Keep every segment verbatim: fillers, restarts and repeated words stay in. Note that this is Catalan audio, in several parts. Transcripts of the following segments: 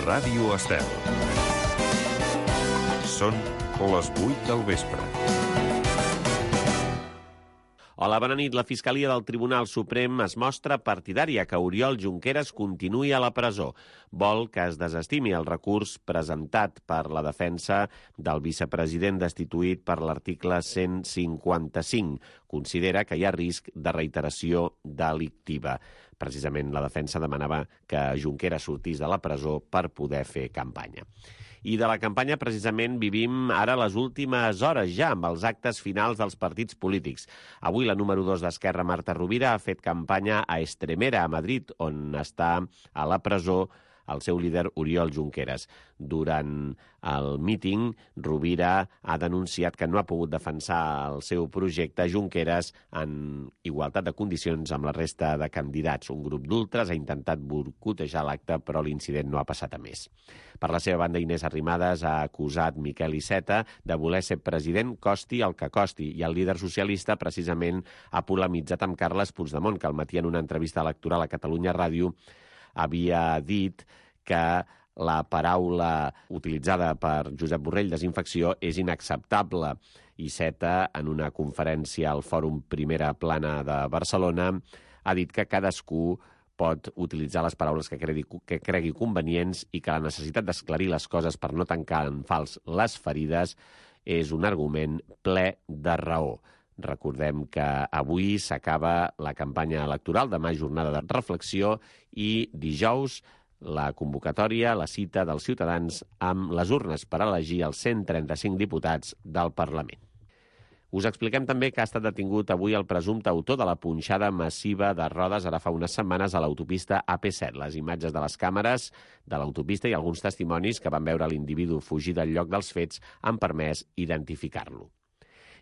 Ràdio Estel. Són les vuit del vespre. Hola, bona nit. La Fiscalia del Tribunal Suprem es mostra partidària que Oriol Junqueras continuï a la presó. Vol que es desestimi el recurs presentat per la defensa del vicepresident destituït per l'article cent cinquanta-cinc. Considera que hi ha risc de reiteració delictiva. Precisament la defensa demanava que Junqueras sortís de la presó per poder fer campanya. I de la campanya, precisament, vivim ara les últimes hores ja amb els actes finals dels partits polítics. Avui la número dos d'Esquerra, Marta Rovira, ha fet campanya a Estremera, a Madrid, on està a la presó el seu líder Oriol Junqueras. Durant el míting, Rovira ha denunciat que no ha pogut defensar el seu projecte Junqueras en igualtat de condicions amb la resta de candidats. Un grup d'ultres ha intentat boicotejar l'acte, però l'incident no ha passat a més. Per la seva banda, Inés Arrimadas ha acusat Miquel Iceta de voler ser president costi el que costi, i el líder socialista precisament ha polemitzat amb Carles Puigdemont, que al matí en una entrevista electoral a Catalunya Ràdio havia dit que la paraula utilitzada per Josep Borrell, desinfecció, és inacceptable. Iceta, en una conferència al Fòrum Primera Plana de Barcelona, ha dit que cadascú pot utilitzar les paraules que cregui, que cregui convenients i que la necessitat d'esclarir les coses per no tancar en fals les ferides és un argument ple de raó. Recordem que avui s'acaba la campanya electoral, demà jornada de reflexió i dijous la convocatòria, la cita dels ciutadans amb les urnes per elegir els cent trenta-cinc diputats del Parlament. Us expliquem també que ha estat detingut avui el presumpte autor de la punxada massiva de rodes ara fa unes setmanes a l'autopista A P set. Les imatges de les càmeres de l'autopista i alguns testimonis que van veure l'individu fugir del lloc dels fets han permès identificar-lo.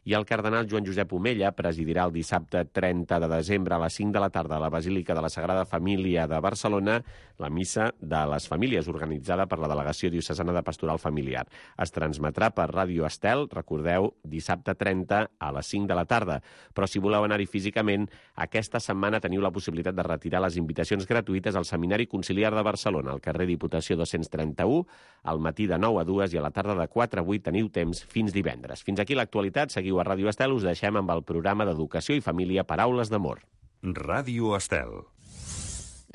I el cardenal Joan Josep Omella presidirà el dissabte trenta de desembre a les cinc de la tarda a la Basílica de la Sagrada Família de Barcelona la missa de les famílies organitzada per la Delegació Diocesana de Pastoral Familiar. Es transmetrà per Ràdio Estel, recordeu, dissabte trenta a les cinc de la tarda. Però si voleu anar-hi físicament, aquesta setmana teniu la possibilitat de retirar les invitacions gratuïtes al Seminari Conciliar de Barcelona, al carrer Diputació dos-cents trenta-u, al matí de nou a dues i a la tarda de quatre a vuit teniu temps fins divendres. Fins aquí l'actualitat. Seguiu a Ràdio Estel, us deixem amb el programa d'Educació i Família Paraules d'Amor. Ràdio Estel.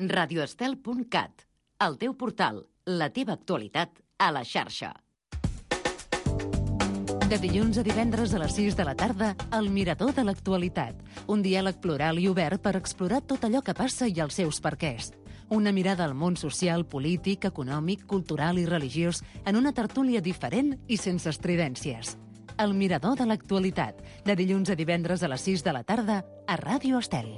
radioestel punt cat, el teu portal, la teva actualitat a la xarxa. De dilluns a divendres a les sis de la tarda, El Mirador de l'Actualitat. Un diàleg plural i obert per explorar tot allò que passa i els seus perquès. Una mirada al món social, polític, econòmic, cultural i religiós en una tertúlia diferent i sense estridències. El Mirador de l'Actualitat, de dilluns a divendres a les sis de la tarda a Ràdio Estel.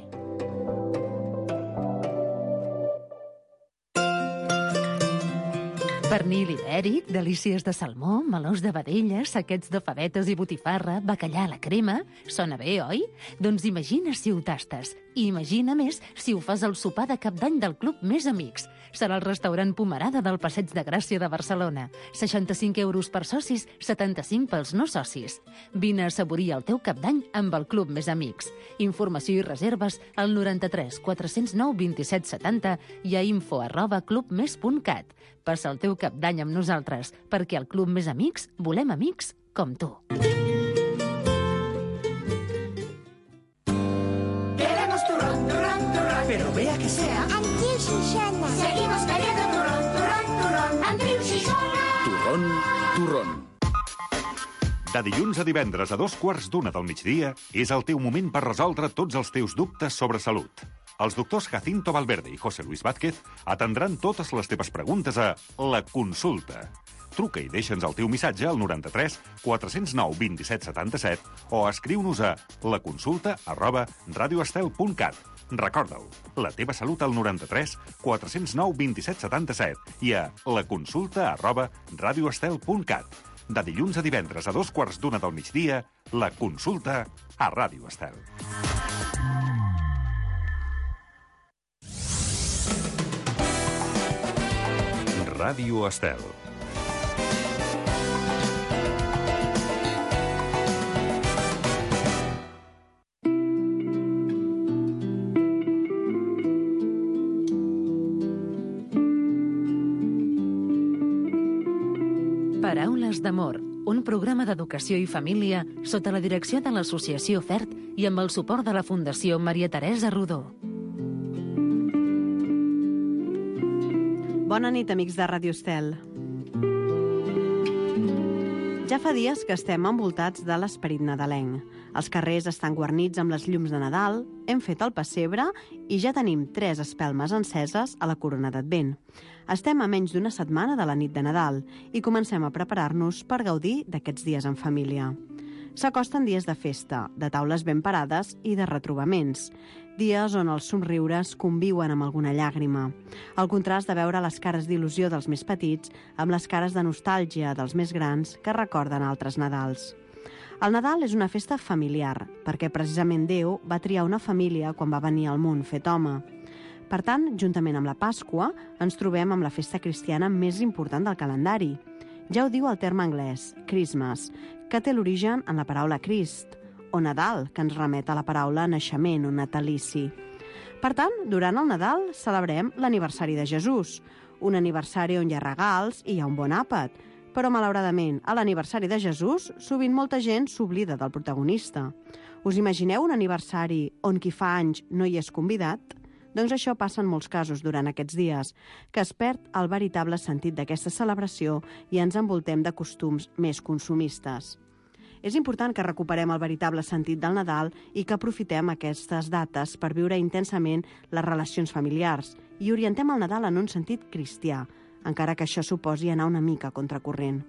Pernil ibèric, delícies de salmó, melós de vedella, saquets de favetes i botifarra, bacallà a la crema... Sona bé, oi? Doncs imagina si ho tastes. I imagina més si ho fas al sopar de cap d'any del Club Més Amics. Serà el restaurant Pomerada del Passeig de Gràcia de Barcelona. seixanta-cinc euros per socis, setanta-cinc pels no socis. Vine a assaborir el teu cap d'any amb el Club Més Amics. Informació i reserves al noranta-tres quatre-cents nou vint-i-set setanta i a info arroba clubmes punt cat. Passa el teu cap d'any amb nosaltres, perquè al Club Més Amics volem amics com tu. Queremos turrón, turrón, turrón. Pero vea que sea Antiu Xixona. Seguimos queriendo turrón, turrón, turrón. Antiu Xixona. Turrón, turrón. De dilluns a divendres a dos quarts d'una del migdia és el teu moment per resoldre tots els teus dubtes sobre salut. Els doctors Jacinto Valverde i José Luis Vázquez atendran totes les teves preguntes a La Consulta. Truca i deixa'ns el teu missatge al noranta-tres quatre-cents nou vint-i-set setanta-set o escriu-nos a laconsulta arroba radioestel punt cat. Recorda-ho, la teva salut al noranta-tres quatre-cents nou vint-i-set setanta-set i a laconsulta arroba radioestel punt cat. De dilluns a divendres a dos quarts d'una del migdia, La Consulta a Ràdio Estel. Ràdio Estel. Paraules d'amor, un programa d'educació i família sota la direcció de l'Associació FERT i amb el suport de la Fundació Maria Teresa Rodó. Bona nit, amics de Ràdio Estel. Ja fa dies que estem envoltats de l'esperit nadalenc. Els carrers estan guarnits amb les llums de Nadal, hem fet el pessebre i ja tenim tres espelmes enceses a la corona d'Advent. Estem a menys d'una setmana de la nit de Nadal i comencem a preparar-nos per gaudir d'aquests dies en família. S'acosten dies de festa, de taules ben parades i de retrobaments. Dies on els somriures conviuen amb alguna llàgrima. El contrast de veure les cares d'il·lusió dels més petits amb les cares de nostàlgia dels més grans que recorden altres Nadals. El Nadal és una festa familiar, perquè precisament Déu va triar una família quan va venir al món fet home. Per tant, juntament amb la Pasqua, ens trobem amb la festa cristiana més important del calendari. Ja ho diu el terme anglès, Christmas, que té l'origen en la paraula Crist, o Nadal, que ens remet a la paraula naixement o natalici. Per tant, durant el Nadal celebrem l'aniversari de Jesús, un aniversari on hi ha regals i hi ha un bon àpat, però malauradament, a l'aniversari de Jesús, sovint molta gent s'oblida del protagonista. Us imagineu un aniversari on qui fa anys no hi és convidat? Doncs això passa en molts casos durant aquests dies, que es perd el veritable sentit d'aquesta celebració i ens envoltem de costums més consumistes. És important que recuperem el veritable sentit del Nadal i que aprofitem aquestes dates per viure intensament les relacions familiars i orientem el Nadal en un sentit cristià, encara que això suposi anar una mica contracorrent.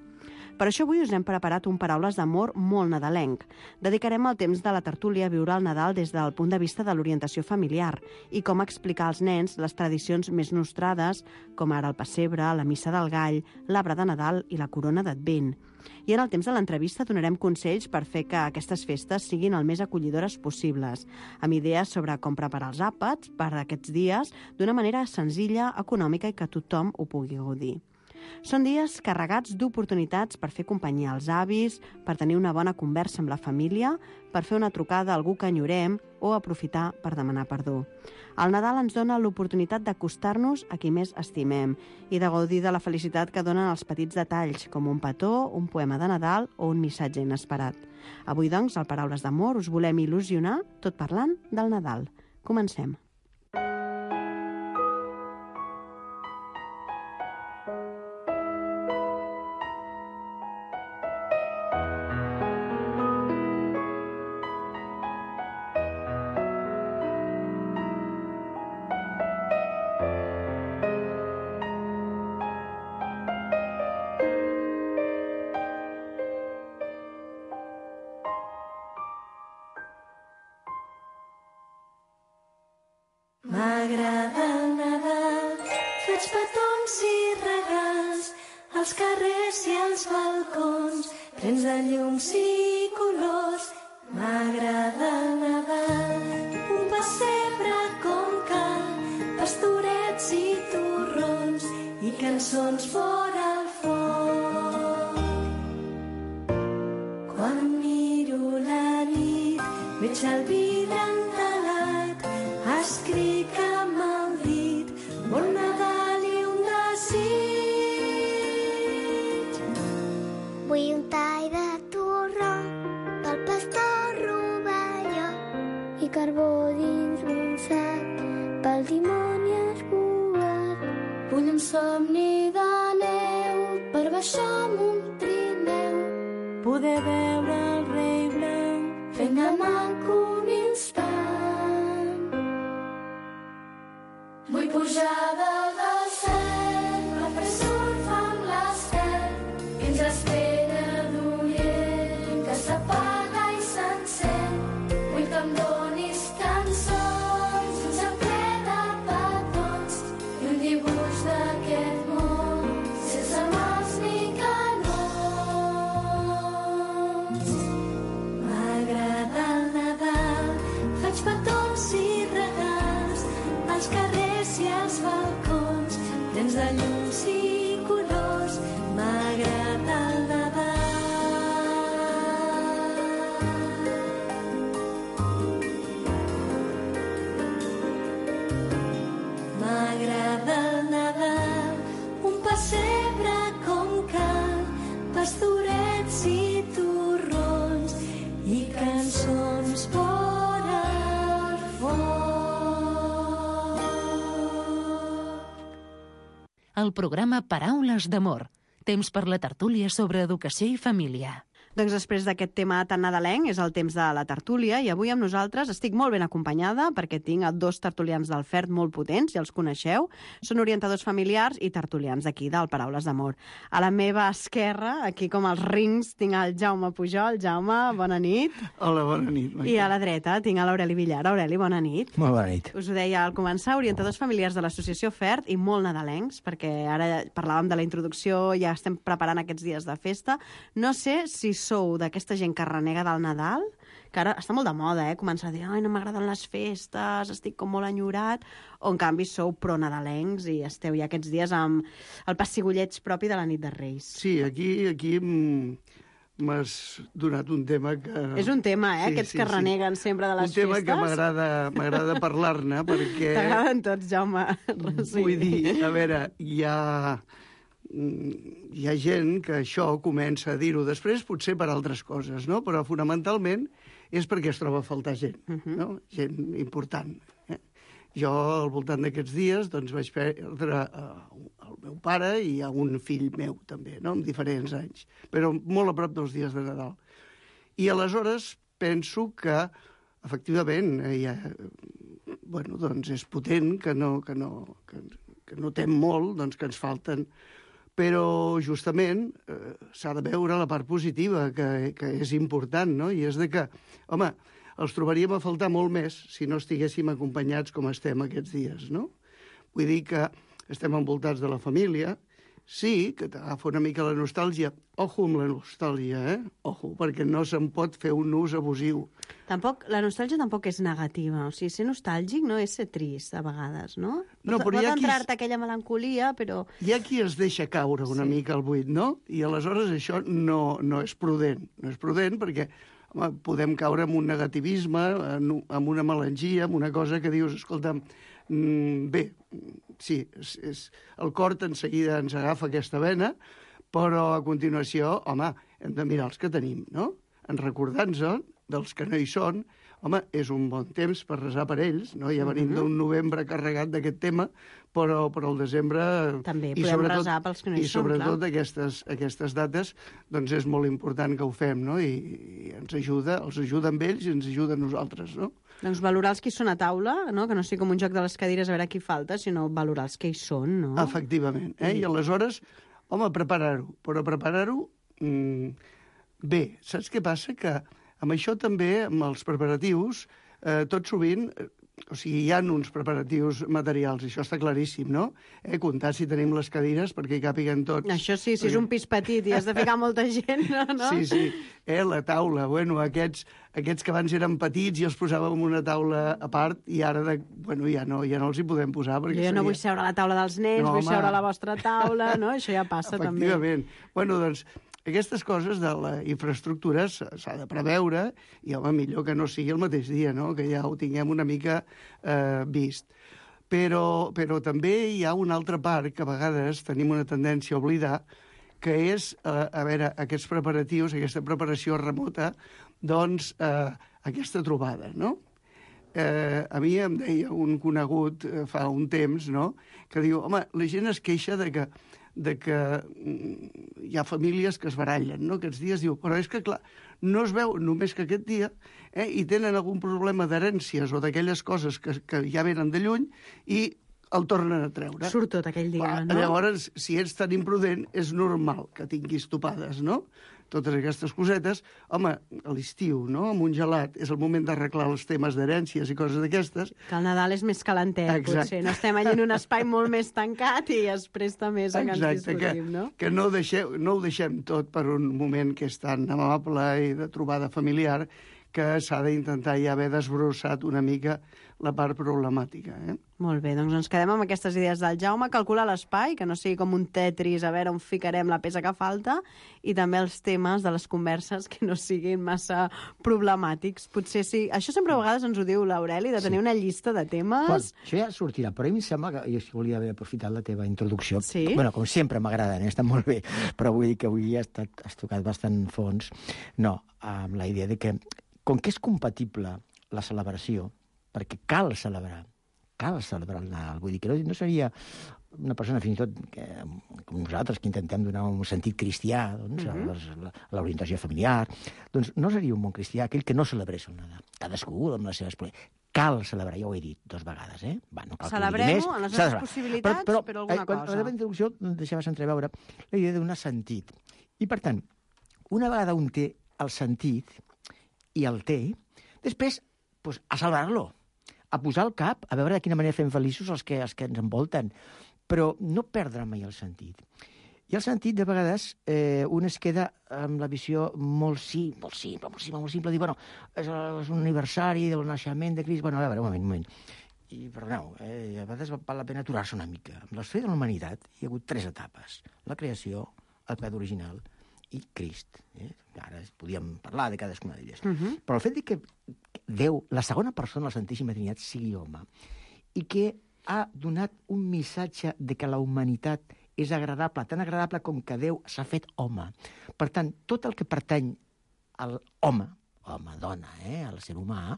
Per això avui us hem preparat un Paraules d'amor molt nadalenc. Dedicarem el temps de la tertúlia a viure el Nadal des del punt de vista de l'orientació familiar i com explicar als nens les tradicions més nostrades, com ara el pessebre, la missa del gall, l'arbre de Nadal i la corona d'Advent. I en el temps de l'entrevista donarem consells per fer que aquestes festes siguin el més acollidores possibles, amb idees sobre com preparar els àpats per aquests dies d'una manera senzilla, econòmica i que tothom ho pugui gaudir. Són dies carregats d'oportunitats per fer companyia als avis, per tenir una bona conversa amb la família, per fer una trucada a algú que enyorem o aprofitar per demanar perdó. El Nadal ens dona l'oportunitat d'acostar-nos a qui més estimem i de gaudir de la felicitat que donen els petits detalls, com un petó, un poema de Nadal o un missatge inesperat. Avui, doncs, al Paraules d'amor us volem il·lusionar tot parlant del Nadal. Comencem. M'agrada el Nadal, faig petons i regals, als carrers i als balcons, plens de llums i colors. M'agrada el Nadal, un pessebre com cal, pastorets i torrons i cançons fora al foc. Quan miro la nit, veig el vidre entelat, escric amb el dit, bon Nadal i un desig. Vull un tall de torró pel pastor rovelló i carbó dins un sac pel dimoni escuat. Vull un somni de neu per baixar amb un trineu, Poder veure el rei blanc fent de manco un instant. Vull pujar dalt del cel, a fer surf amb l'estel, que ens espera d'orient, que s'apaga i s'encén. Vull que em donis cançons, un sembler de petons i un dibuix d'aquest món, sense mals ni canons. M'agrada el Nadal, faig petons i regals, als carrers i als balcons, el programa Paraules d'Amor, temps per la tertúlia sobre educació i família. Doncs després d'aquest tema tan nadalenc és el temps de la tertúlia i avui amb nosaltres estic molt ben acompanyada perquè tinc dos tertulians del F E R T molt potents, ja els coneixeu. Són orientadors familiars i tertulians d'aquí, del Paraules d'Amor. A la meva esquerra, aquí com els rings, tinc el Jaume Pujol. Jaume, bona nit. Hola, bona nit. I a la dreta tinc l'Aureli Villar. Aureli, bona nit. Molt bona nit. Us ho deia al començar, orientadors familiars de l'associació F E R T i molt nadalencs, perquè ara parlàvem de la introducció, ja estem preparant aquests dies de festa. No sé si sou d'aquesta gent que renega del Nadal, que ara està molt de moda, eh? Començar a dir, ai, no m'agraden les festes, estic com molt enyorat, o en canvi sou pro-nadalencs i esteu ja aquests dies amb el pessigolleig propi de la nit de Reis. Sí, aquí, aquí m'has donat un tema que... És un tema, eh? Sí, Aquests sí, que reneguen sí. sempre de les festes. Un tema festes. que m'agrada parlar-ne, perquè... T'agraden tots, Jaume. Sí. Vull dir, a veure, hi ha... hi ha gent que això comença a dir-ho després, potser per altres coses, no? Però fonamentalment és perquè es troba a faltar gent, uh -huh. no? Gent important. Eh? Jo, al voltant d'aquests dies, doncs vaig perdre uh, el meu pare i a un fill meu, també, no? Amb diferents anys, però molt a prop dels dies de Nadal. I aleshores penso que, efectivament, hi ha, bueno, doncs és potent que no, que no, que, que notem molt, doncs que ens falten. Però, justament, eh, s'ha de veure la part positiva, que, que és important, no? I és de que, home, els trobaríem a faltar molt més si no estiguéssim acompanyats com estem aquests dies, no? Vull dir que estem envoltats de la família, sí, que t'agafa una mica la nostàlgia. Ojo amb la nostàlgia, eh? Ojo, perquè no se'n pot fer un ús abusiu. Tampoc, la nostàlgia tampoc és negativa. O sigui, ser nostàlgic no és ser trist, a vegades, no? No, pot però pot hi ha qui... entrar-te aquella melancolia, però... Hi ha qui es deixa caure una sí. mica al buit, no? I aleshores això no, no és prudent. No és prudent perquè home, podem caure en un negativisme, en, en una melangia, en una cosa que dius, escolta'm, mm, bé, sí, és, és, el cor en seguida ens agafa aquesta vena, però a continuació, home, hem de mirar els que tenim, no? En recordar-nos dels que no hi són, home, és un bon temps per resar per ells, no? Ja venim uh -huh. d'un novembre carregat d'aquest tema, però, però el desembre... També podem resar pels que no hi i són, sobretot clar. aquestes, aquestes dates, doncs és molt important que ho fem, no? I, i ens ajuda, els ajuda amb ells i ens ajuda a nosaltres, no? Doncs valorar els que hi són a taula, no? Que no sigui com un joc de les cadires a veure qui falta, sinó valorar els que hi són, no? Efectivament, eh? I aleshores, home, preparar-ho, però preparar-ho mmm, bé. Saps què passa? Que amb això també, amb els preparatius, eh, tot sovint, eh, o sigui, hi ha uns preparatius materials, això està claríssim, no? Eh, comptar si tenim les cadires perquè hi càpiguen tots. Això sí, si és un pis petit i has de ficar molta gent, no? Sí, sí. Eh, la taula, bueno, aquests, aquests que abans eren petits i els posàvem en una taula a part i ara, de, bueno, ja no, ja no els hi podem posar. Perquè jo seria... no vull seure a la taula dels nens, no, vull home. seure a la vostra taula, no? Això ja passa també. Efectivament. Bueno, doncs, aquestes coses de la infraestructura s'ha de preveure i, home, millor que no sigui el mateix dia, no? Que ja ho tinguem una mica eh, vist. Però, però també hi ha una altra part que a vegades tenim una tendència a oblidar, que és, eh, a veure, aquests preparatius, aquesta preparació remota, doncs eh, aquesta trobada, no? Eh, a mi em deia un conegut eh, fa un temps, no?, que diu, home, la gent es queixa de que de que hi ha famílies que es barallen, no?, aquests dies, diu, però és que, clar, no es veu només que aquest dia, eh, i tenen algun problema d'herències o d'aquelles coses que, que ja venen de lluny i el tornen a treure. Surt tot aquell dia, Va, no? Llavors, si ets tan imprudent, és normal que tinguis topades, no?, totes aquestes cosetes. Home, a l'estiu, no?, amb un gelat, és el moment d'arreglar els temes d'herències i coses d'aquestes. Que el Nadal és més calentet, Exacte. potser. No estem allà en un espai molt més tancat i es presta més a que ens discutim, no? Que, que no, deixeu, no ho deixem tot per un moment que és tan amable i de trobada familiar que s'ha d'intentar ja haver desbrossat una mica la part problemàtica. Eh? Molt bé, doncs ens quedem amb aquestes idees del Jaume, calcular l'espai, que no sigui com un Tetris, a veure on ficarem la peça que falta, i també els temes de les converses que no siguin massa problemàtics. Potser sí. Això sempre a vegades ens ho diu l'Aureli, de tenir sí. una llista de temes... Bueno, això ja sortirà, però a mi em sembla que jo volia haver aprofitat la teva introducció. Sí? Bueno, com sempre m'agraden, eh? Estan molt bé, però vull dir que avui has, estat, has tocat bastant fons. No, amb la idea de que com que és compatible la celebració, perquè cal celebrar, cal celebrar el Nadal. Vull dir que no, no seria una persona, fins i tot, que, com nosaltres, que intentem donar un sentit cristià doncs, uh-huh. a l'orientació familiar, doncs no seria un bon cristià aquell que no celebrés el Nadal. Cadascú amb les seves... Cal celebrar, ja ho he dit dues vegades, eh? Va, no cal Celebrem-ho en les nostres possibilitats, però, però, però alguna eh, quan, cosa. A la meva introducció deixaves entreveure la idea de donar sentit. I, per tant, una vegada un té el sentit, i el té, després, doncs, a celebrar-lo, a posar el cap, a veure de quina manera fem feliços els que, els que ens envolten, però no perdre mai el sentit. I el sentit, de vegades, eh, un es queda amb la visió molt simple, molt simple, molt simple, molt simple, dir, bueno, és, és un aniversari del naixement de Crist, bueno, a veure, un moment, un moment. I, perdoneu, eh, a vegades val la pena aturar-se una mica. Amb l'història de la humanitat hi ha hagut tres etapes. La creació, el pecado original i Crist. Eh? Ara podíem parlar de cadascuna d'elles. Uh-huh. Però el fet de que Déu, la segona persona de la Santíssima Trinitat, sigui home, i que ha donat un missatge de que la humanitat és agradable, tan agradable com que Déu s'ha fet home. Per tant, tot el que pertany al home, home, dona, eh, al ser humà,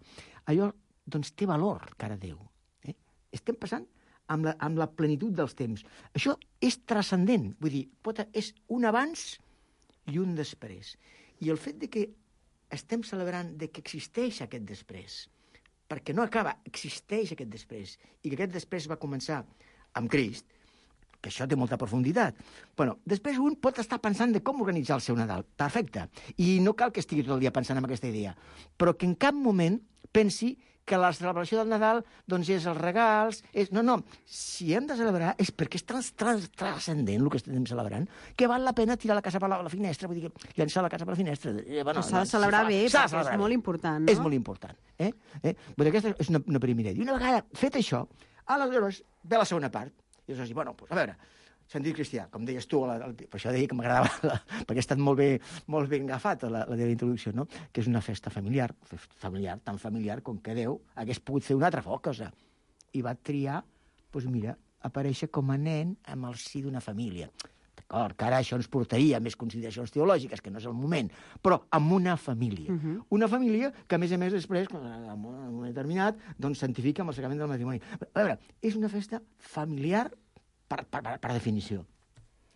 allò doncs, té valor cara a Déu. Eh? Estem passant amb la, amb la plenitud dels temps. Això és transcendent, vull dir, pot, és un abans i un després. I el fet de que estem celebrant de que existeix aquest després, perquè no acaba, existeix aquest després, i que aquest després va començar amb Crist, que això té molta profunditat. Bueno, després un pot estar pensant de com organitzar el seu Nadal. Perfecte. I no cal que estigui tot el dia pensant en aquesta idea. Però que en cap moment pensi que la celebració del Nadal doncs és els regals... És... No, no. Si hem de celebrar és perquè és trans, trans, transcendent el que estem celebrant, que val la pena tirar la casa per la, la finestra, vull dir, llençar la casa per la finestra. Eh, bueno, s'ha de celebrar bé, perquè celebrar és molt important, no? És molt important. Eh? Eh? Vull dir, aquesta és una, una primera idea. I una vegada fet això, aleshores ve la segona part. I aleshores, bueno, doncs, a veure, sentit cristià, com deies tu, la, la, per això deia que m'agradava, la, perquè ha estat molt, bé, molt ben agafat la, la teva introducció, no? Que és una festa familiar, familiar, tan familiar com que Déu hagués pogut fer una altra cosa. I va triar, doncs mira, aparèixer com a nen amb el si d'una família. D'acord, que ara això ens portaria a més consideracions teològiques, que no és el moment, però amb una família. Uh-huh. Una família que, a més a més, després, en un moment determinat, doncs santifica amb el sacrament del matrimoni. A veure, és una festa familiar per, per, per, per definició.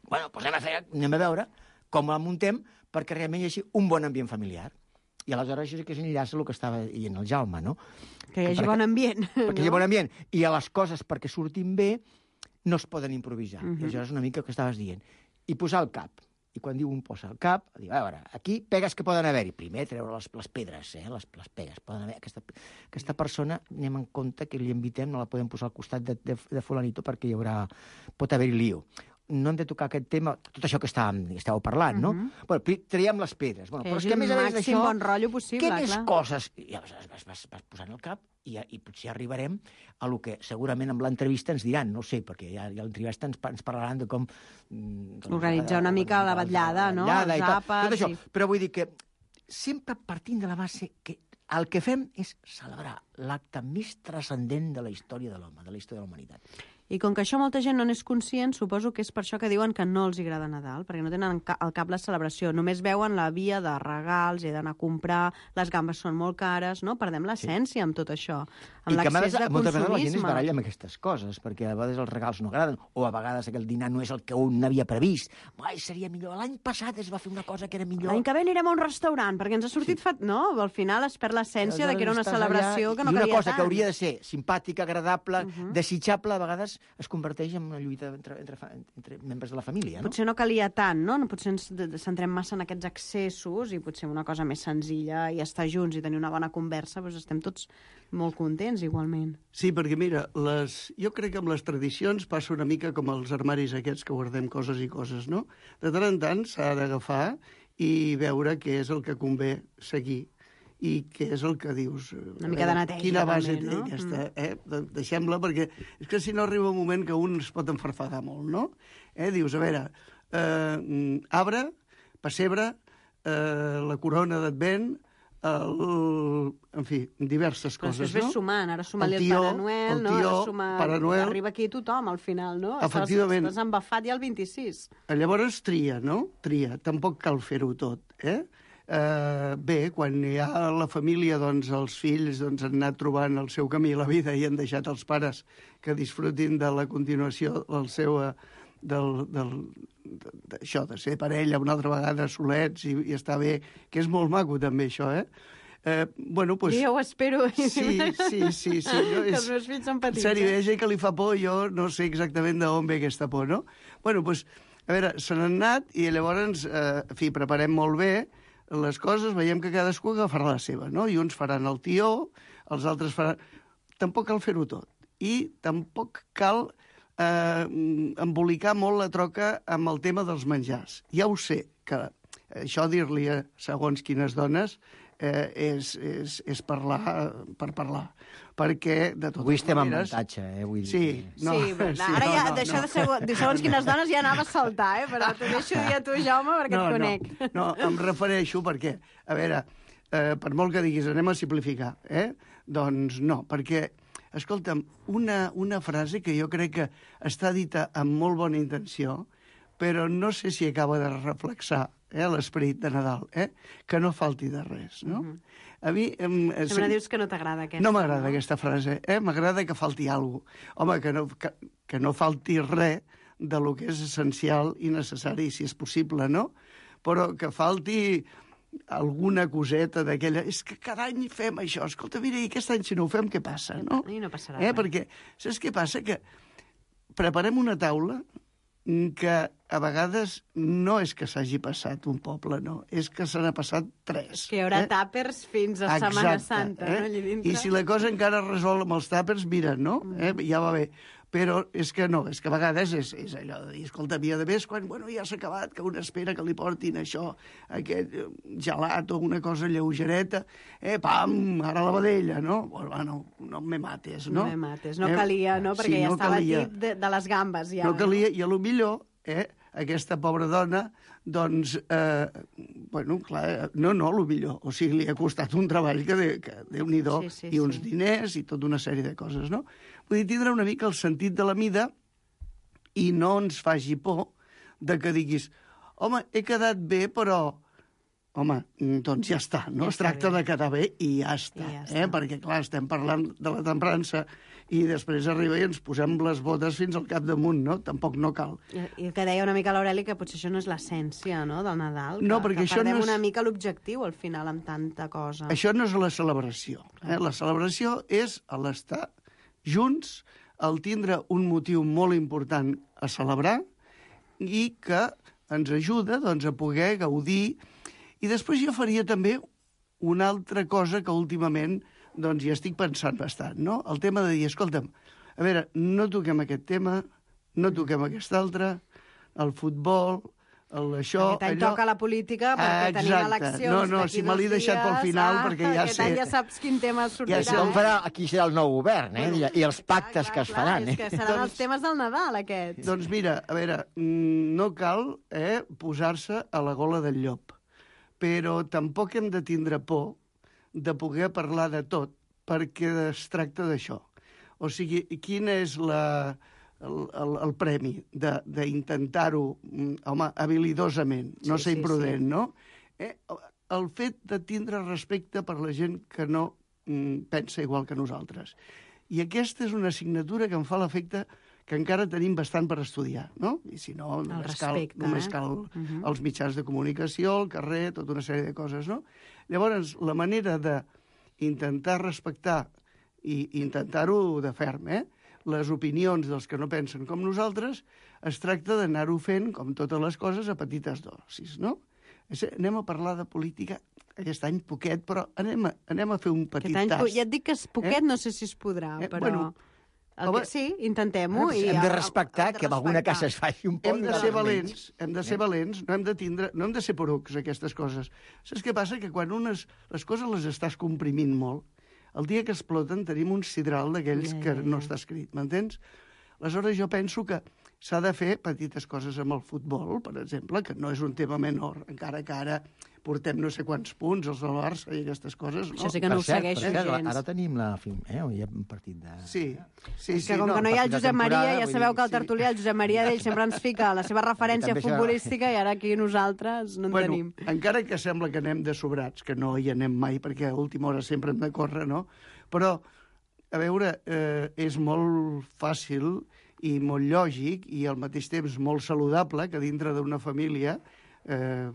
Bueno, doncs anem a, fer, anem a veure com la muntem perquè realment hi hagi un bon ambient familiar. I aleshores això sí que s'enllaça el que estava dient el Jaume, no? Que hi hagi bon ambient. Perquè hi hagi bon ambient. I a les coses perquè surtin bé no es poden improvisar. Uh-huh. I això és una mica el que estaves dient. I posar el cap. I quan diu un posa el cap, diu, a veure, aquí pegues que poden haver-hi. Primer treure les, les pedres, eh? les, les pegues. Poden haver. Aquesta, aquesta persona, anem en compte que li invitem, no la podem posar al costat de, de, de fulanito perquè hi haurà, pot haver-hi lío. No hem de tocar aquest tema, tot això que estàvem, estàveu parlant, no? Uh-huh. Bueno, traiem les pedres. Bueno, que però és que a més a més d'això, bon rotllo possible, què més clar. Coses? I aleshores vas, vas, vas posant el cap i, i potser arribarem a lo que segurament amb l'entrevista ens diran, no sé, perquè ja, ja l'entrevista ens, ens parlaran de com... Doncs, organitzar una mica la vetllada, no? Els àpats... Tot això. I... Però vull dir que sempre partint de la base que el que fem és celebrar l'acte més transcendent de la història de l'home, de la història de la humanitat. I com que això molta gent no n'és conscient, suposo que és per això que diuen que no els agrada Nadal, perquè no tenen al cap la celebració. Només veuen la via de regals, he d'anar a comprar, les gambes són molt cares, no? Perdem l'essència sí. amb tot això, amb l'accés de consumisme. Moltes vegades la gent es baralla amb aquestes coses, perquè a vegades els regals no agraden, o a vegades aquell dinar no és el que un havia previst. Ai, seria millor. L'any passat es va fer una cosa que era millor. L'any que ve anirem a un restaurant, perquè ens ha sortit... Sí. Fa... No, al final es perd l'essència de que era una celebració que no calia tant. I una cosa que hauria de ser simpàtica, agradable, uh-huh. desitjable, a vegades es converteix en una lluita entre, entre, entre membres de la família, no? Potser no calia tant, no? Potser ens centrem massa en aquests excessos i potser una cosa més senzilla i estar junts i tenir una bona conversa, doncs estem tots molt contents, igualment. Sí, perquè mira, les... jo crec que amb les tradicions passa una mica com els armaris aquests que guardem coses i coses, no? De tant en tant s'ha d'agafar i veure què és el que convé seguir i què és el que dius. Una mica de neteja, quina base també, té no? aquesta, eh? Deixem-la, perquè és que si no arriba un moment que un es pot enfarfadar molt, no? Eh? Dius, a veure, eh, arbre, pessebre, eh, la corona d'Advent, el... en fi, diverses però coses, no? Però després sumant, ara suma-li el, el Pare Noel, el no? tió, Ara suma... Pare Noel... Arriba aquí tothom, al final, no? Efectivament. Estàs, estàs embafat ja el vint-i-sis. Llavors tria, no? Tria. Tampoc cal fer-ho tot, eh? eh, bé, quan hi ha la família, doncs els fills doncs, han anat trobant el seu camí a la vida i han deixat els pares que disfrutin de la continuació del seu... Eh, del, del, d'això, de ser parella una altra vegada solets i, i estar bé, que és molt maco també això, eh? Eh, bueno, pues... Jo ho espero. Sí, sí, sí. sí no, que és... els meus fills són petits. Seriveja i que li fa por, jo no sé exactament d'on ve aquesta por, no? Bueno, pues, a veure, se n'han anat i llavors, eh, en fi, preparem molt bé les coses, veiem que cadascú agafarà la seva, no? I uns faran el tió, els altres faran... Tampoc cal fer-ho tot. I tampoc cal eh, embolicar molt la troca amb el tema dels menjars. Ja ho sé, que això dir-li a segons quines dones eh, és, és, és parlar per parlar. Perquè, de totes Avui estem maneres... en muntatge, eh? Vull dir Sí, que... no, sí, però sí, ara no, ja, no, d'això no. de segons, de segons quines dones ja anava a saltar, eh? Però t'ho deixo dir a tu, Jaume, perquè no, et conec. No, no, em refereixo perquè, a veure, eh, per molt que diguis, anem a simplificar, eh? Doncs no, perquè, escolta'm, una, una frase que jo crec que està dita amb molt bona intenció, però no sé si acaba de reflexar eh, l'esperit de Nadal, eh? Que no falti de res, no? Mm -hmm. A mi... Em, em, Sempre dius que no t'agrada aquesta. No m'agrada no? aquesta frase, eh? M'agrada que falti alguna cosa. Home, que no, que, que no falti res de lo que és essencial i necessari, si és possible, no? Però que falti alguna coseta d'aquella... És que cada any fem això. Escolta, mira, i aquest any si no ho fem, què passa, no? I no passarà eh? res. Perquè, saps què passa? Que preparem una taula que a vegades no és que s'hagi passat un poble, no. És que se n'ha passat tres. Que hi haurà eh? tàpers fins a Exacte, Setmana Santa, eh? no? Allà dintre. I si la cosa encara es resol amb els tàpers, mira, no? Eh? Ja va bé. Però és que no, és que a vegades és, és allò de dir, escolta, havia de més quan, bueno, ja s'ha acabat, que una espera que li portin això, aquest gelat o una cosa lleugereta, eh, pam, ara la vedella, no? Bueno, no me mates, no? No me mates, no calia, no? Perquè sí, ja no estava calia. tip de, de les gambes, ja. No calia, i a lo millor, eh, aquesta pobra dona, doncs, eh, bueno, clar, no, no, a lo millor, o sigui, li ha costat un treball que, de, que Déu-n'hi-do, Sí, sí, i uns sí. diners i tota una sèrie de coses, no? Vull dir, tindrà una mica el sentit de la mida i no ens faci por de que diguis, home, he quedat bé, però... Home, doncs ja està, no? Ja Es està tracta bé. de quedar bé i ja està, I ja eh? està. Perquè, clar, estem parlant de la temprança i després arriba i ens posem les botes fins al capdamunt, no? Tampoc no cal. I, I que deia una mica l'Aureli que potser això no és l'essència, no?, del Nadal. No, que, perquè que això perdem no és- una mica l'objectiu, al final, amb tanta cosa. Això no és la celebració. Eh? La celebració és l'estar junts, el tindre un motiu molt important a celebrar i que ens ajuda doncs, a poder gaudir. I després jo faria també una altra cosa que últimament doncs, ja estic pensant bastant, no? El tema de dir, escolta'm, a veure, no toquem aquest tema, no toquem aquest altre, el futbol, el, això... Aquest any allò... toca la política perquè tenim Exacte. eleccions No, no, d'aquí si me l'he dos deixat pel dies, final, ah, perquè ja aquest sé... any ja saps quin tema sortirà. sé Com on eh? farà, aquí serà el nou govern, eh? I, i els pactes Clar, que es clar, faran, És eh? que seran Doncs- els temes del Nadal, aquests. Doncs mira, a veure, mm, no cal eh, posar-se a la gola del llop, però tampoc hem de tindre por de poder parlar de tot, perquè es tracta d'això. O sigui, quin és la, el, el, el premi de- d'intentar-ho, mm, home, habilidosament, no Sí, ser sí, imprudent, no? Eh, el fet de tindre respecte per la gent que no mm, pensa igual que nosaltres. I aquesta és una assignatura que em fa l'efecte que encara tenim bastant per estudiar, no? I si no, només cal, respecte, només eh? cal Mhm. els mitjans de comunicació, el carrer, tota una sèrie de coses, no? Llavors, la manera d'intentar respectar i intentar-ho de ferm, eh? Les opinions dels que no pensen com nosaltres, es tracta d'anar-ho fent, com totes les coses, a petites dosis, no? És, anem a parlar de política aquest any poquet, però anem a, anem a fer un petit Aquest any, tast. ja et dic que és poquet, Eh? no sé si es podrà, Eh, però... bueno, el home, que, sí, intentem-ho. i Hem de el- respectar hem de que en alguna respectar. casa es faci un poc Hem de de ser vermell. valents, hem de ser valents, no hem de tindre, no hem de ser porucs, aquestes coses. Saps què passa? Que quan unes, les coses les estàs comprimint molt, el dia que exploten tenim un sidral d'aquells Ja, que ja, no ja. està escrit, m'entens? Aleshores, jo penso que s'ha de fer petites coses amb el futbol, per exemple, que no és un tema menor, encara que ara portem no sé quants punts, els del Barça i aquestes coses, no? Això sí que no ho segueixo per cert, gens. Ara tenim la... Eh? Hi ha un partit de... Sí, sí, És sí. que com no, que no hi ha el partit de Josep Maria, temporada, ja vull sabeu dir, que el sí. tertulià, el Josep Maria d'ell, sempre ens fica la seva referència També s'ha- futbolística i ara aquí nosaltres no en Bueno, tenim. encara que sembla que anem de sobrats, que no hi anem mai, perquè a última hora sempre hem de córrer, no? Però, a veure, eh, és molt fàcil i molt lògic i al mateix temps molt saludable que dintre d'una família eh,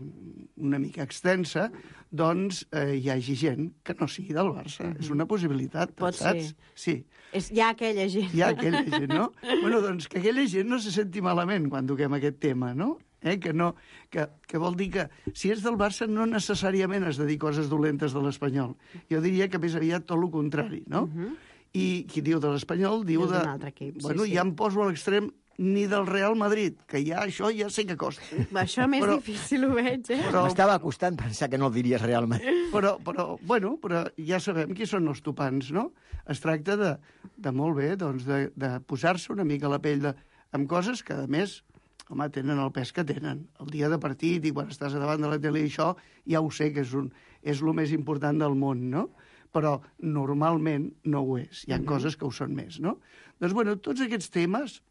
una mica extensa, doncs eh, hi hagi gent que no sigui del Barça. Mm-hmm. És una possibilitat, Pot saps? ser. Sí. És, hi ha aquella gent. Hi ha aquella gent, no? Bueno, doncs que aquella gent no se senti malament quan toquem aquest tema, no? Eh? Que, no que, que vol dir que si és del Barça no necessàriament has de dir coses dolentes de l'Espanyol. Jo diria que més aviat tot el contrari, no? Uh-huh. I qui diu de l'Espanyol diu És de... d'un altre equip, sí, bueno, sí. ja em poso a l'extrem ni del Real Madrid, que ja això ja sé que costa. Això més Però- difícil ho veig, eh? Però, M'estava costant pensar que no el diries realment. però, però, bueno, però ja sabem qui són els topants, no? Es tracta de, de molt bé, doncs, de, de posar-se una mica a la pell de, amb coses que, a més, home, tenen el pes que tenen. El dia de partit i quan estàs davant de la tele i això, ja ho sé que és, un, és el més important del món, no? Però normalment no ho és. Hi ha uh-huh. coses que ho són més, no? Doncs, bueno, tots aquests temes,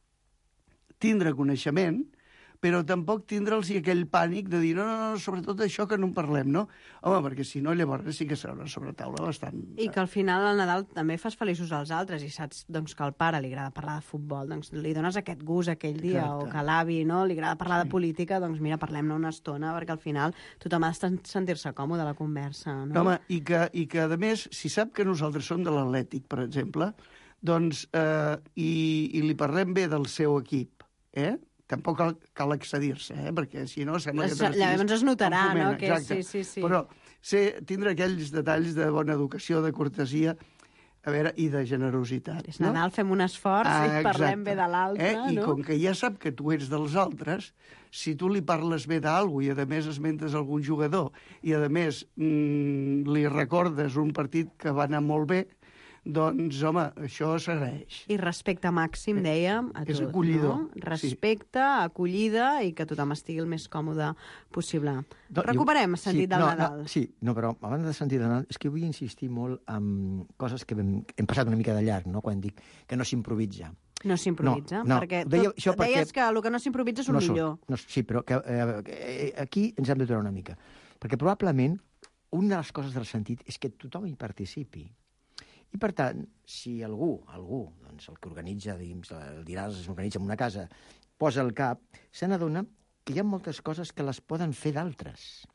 tindre coneixement, però tampoc tindre'ls aquell pànic de dir no, no, no, sobretot això que no en parlem, no? Home, perquè si no, llavors sí que serà una sobretaula bastant... I que al final al Nadal també fas feliços als altres i saps doncs, que al pare li agrada parlar de futbol, doncs li dones aquest gust aquell dia, Exacte. o que a l'avi no, li agrada parlar sí. de política, doncs mira, parlem-ne una estona, perquè al final tothom ha de sentir-se còmode a la conversa, no? Home, i que, i que a més, si sap que nosaltres som de l'Atlètic, per exemple, doncs, eh, i, i li parlem bé del seu equip, eh? Tampoc cal, cal excedir-se, eh? Perquè si no sembla que... Es- llavors es notarà, Foment, no? Que exacte. sí, sí, sí. Però ser, tindre aquells detalls de bona educació, de cortesia, a veure, i de generositat. És no? Nadal, fem un esforç Ah, i parlem exacte. bé de l'altre, eh? I no? com que ja sap que tu ets dels altres, si tu li parles bé d'algú i, a més, esmentes algun jugador i, a més, mm, li recordes un partit que va anar molt bé, doncs, home, això s'agraeix. I respecte màxim, dèiem, a És tot, acollidor, no? Respecte, acollida i que tothom estigui el més còmode possible. No, Recuperem el sentit sí, del no, Nadal. No, sí, no, però abans de sentit del Nadal, és que vull insistir molt en coses que hem, hem passat una mica de llarg, no?, quan dic que no s'improvisa. No s'improvisa, No, no, perquè deia tot, això perquè- deies que el que no s'improvisa és un no millor. Surt, no, sí, però que, eh, aquí ens hem d'aturar una mica. Perquè probablement una de les coses del sentit és que tothom hi participi. I, per tant, si algú, algú, doncs el que organitza, diguem, el diràs, s'organitza en una casa, posa el cap, se n'adona que hi ha moltes coses que les poden fer d'altres.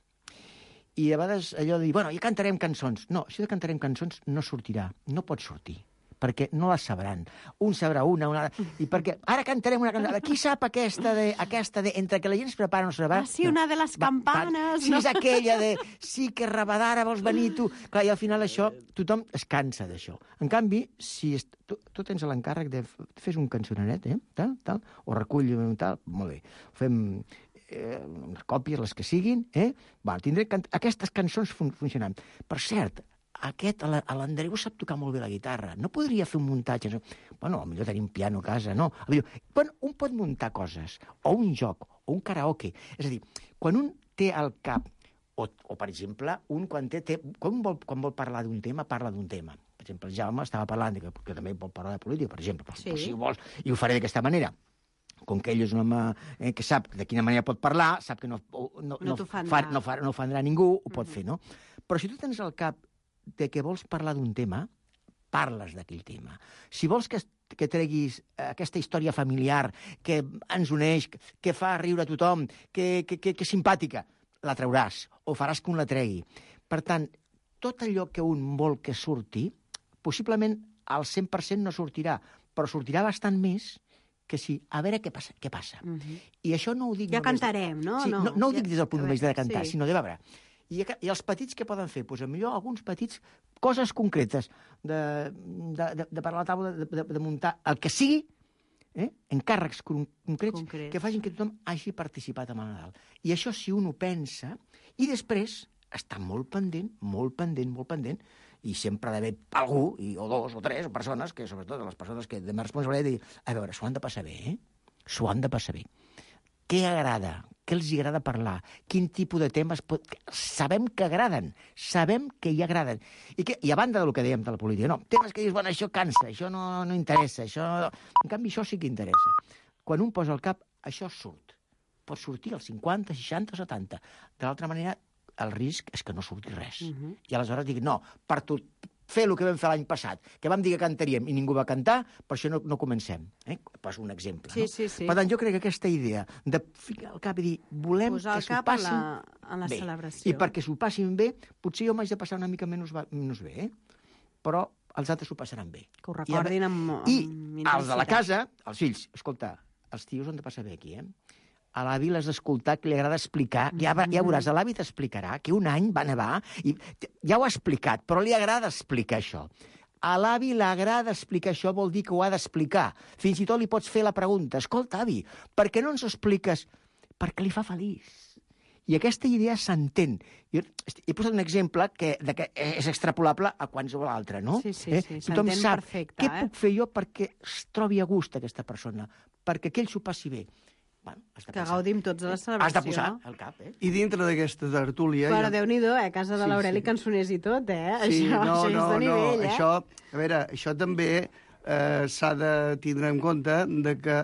I a vegades allò de dir, bueno, ja cantarem cançons. No, això de cantarem cançons no sortirà, no pot sortir, perquè no les sabran. Un sabrà una, una... I perquè ara cantarem una cançó. Qui sap aquesta de... aquesta de entre que la gent es prepara o no se prepara... Ah, sí, una de les campanes, Si no? és aquella de... Sí, que rabadara vols venir tu... Clar, i al final això, tothom es cansa d'això. En canvi, si es... tu, tu tens l'encàrrec de... Fes un cançoneret, eh? Tal, tal, o recull tal... Molt bé. Fem eh, unes còpies, les que siguin, eh? Va, tindré can... aquestes cançons fun funcionant. Per cert, aquest, a l'Andreu sap tocar molt bé la guitarra. No podria fer un muntatge? Bueno, potser tenim piano a casa, no? Bueno, un pot muntar coses, o un joc, o un karaoke. És a dir, quan un té al cap, o, o per exemple, un quan, té, té, quan, vol, quan vol parlar d'un tema, parla d'un tema. Per exemple, el Jaume estava parlant, que, que també vol parlar de política, per exemple, sí. Si vols, i ho faré d'aquesta manera. Com que ell és un home eh, que sap de quina manera pot parlar, sap que no, no, no, no, fa, no, fa, no ofendrà ningú, ho pot mm. fer, no? Però si tu tens al cap de que vols parlar d'un tema, parles d'aquell tema. Si vols que, que treguis aquesta història familiar que ens uneix, que fa riure a tothom, que, que, que, que és simpàtica, la trauràs, o faràs que un la tregui. Per tant, tot allò que un vol que surti, possiblement al cent per cent no sortirà, però sortirà bastant més que sí, a veure què passa. Què passa. Uh-huh. I això no ho dic... Ja cantarem, de... no? Sí, no, no, no ho dic des del punt de vista de cantar, sí. sinó de veure... I, I els petits què poden fer? Doncs potser alguns petits, coses concretes, de, de, de, de parlar a la taula, de, de, de muntar el que sigui, eh? encàrrecs concrets, Concret. que facin que tothom hagi participat en el Nadal. I això, si un ho pensa, i després està molt pendent, molt pendent, molt pendent, i sempre ha d'haver algú, i, o dos o tres persones, que sobretot les persones que de responsabilitat, dir, a veure, s'ho han de passar bé, eh? S'ho han de passar bé. Què agrada? Què els agrada parlar? Quin tipus de temes... Pot... Sabem que agraden, sabem que hi agraden. I, que, I a banda del que dèiem de la política, no, temes que dius, bueno, això cansa, això no, no interessa, això... En canvi, això sí que interessa. Quan un posa al cap, això surt. Pot sortir als cinquanta, seixanta, setanta. De l'altra manera, el risc és que no surti res. Uh-huh. I aleshores dic, no, per tu... fer el que vam fer l'any passat, que vam dir que cantaríem i ningú va cantar, per això no, no comencem. Eh? Poso un exemple. Sí, no? sí, sí. Per tant, jo crec que aquesta idea de ficar el cap i dir volem posar que el s'ho cap passin en la, en la bé. celebració. I perquè s'ho passin bé, potser jo m'haig de passar una mica menys, menys bé, eh? Però els altres s'ho passaran bé. Que ho recordin I, amb, amb I intensitat. els de la casa, els fills, escolta, els tios han de passar bé aquí, eh? A l'avi l'has d'escoltar, que li agrada explicar. Ja, ja veuràs, a l'avi t'explicarà que un any va nevar, i ja ho ha explicat, però li agrada explicar això. A l'avi l'agrada explicar això, vol dir que ho ha d'explicar. Fins i tot li pots fer la pregunta, escolta, avi, per què no ens ho expliques? Perquè li fa feliç. I aquesta idea s'entén. Jo he posat un exemple que, de que és extrapolable a qualsevol altre, no? Sí, sí, sí, eh? Tothom s'entén sap perfecte. Què eh? puc fer jo perquè es trobi a gust aquesta persona, perquè que ell s'ho passi bé. Bueno, has de Que posar. gaudim tots de la celebració. Has de posar el cap, eh? I dintre d'aquesta tertúlia... Però ja- Déu-n'hi-do, eh? Casa de Sí, l'Aureli, sí. cançoners i tot, eh? Sí, això, no, això no, és de nivell, no. eh? Això, a veure, això també eh, s'ha de tindre en compte de que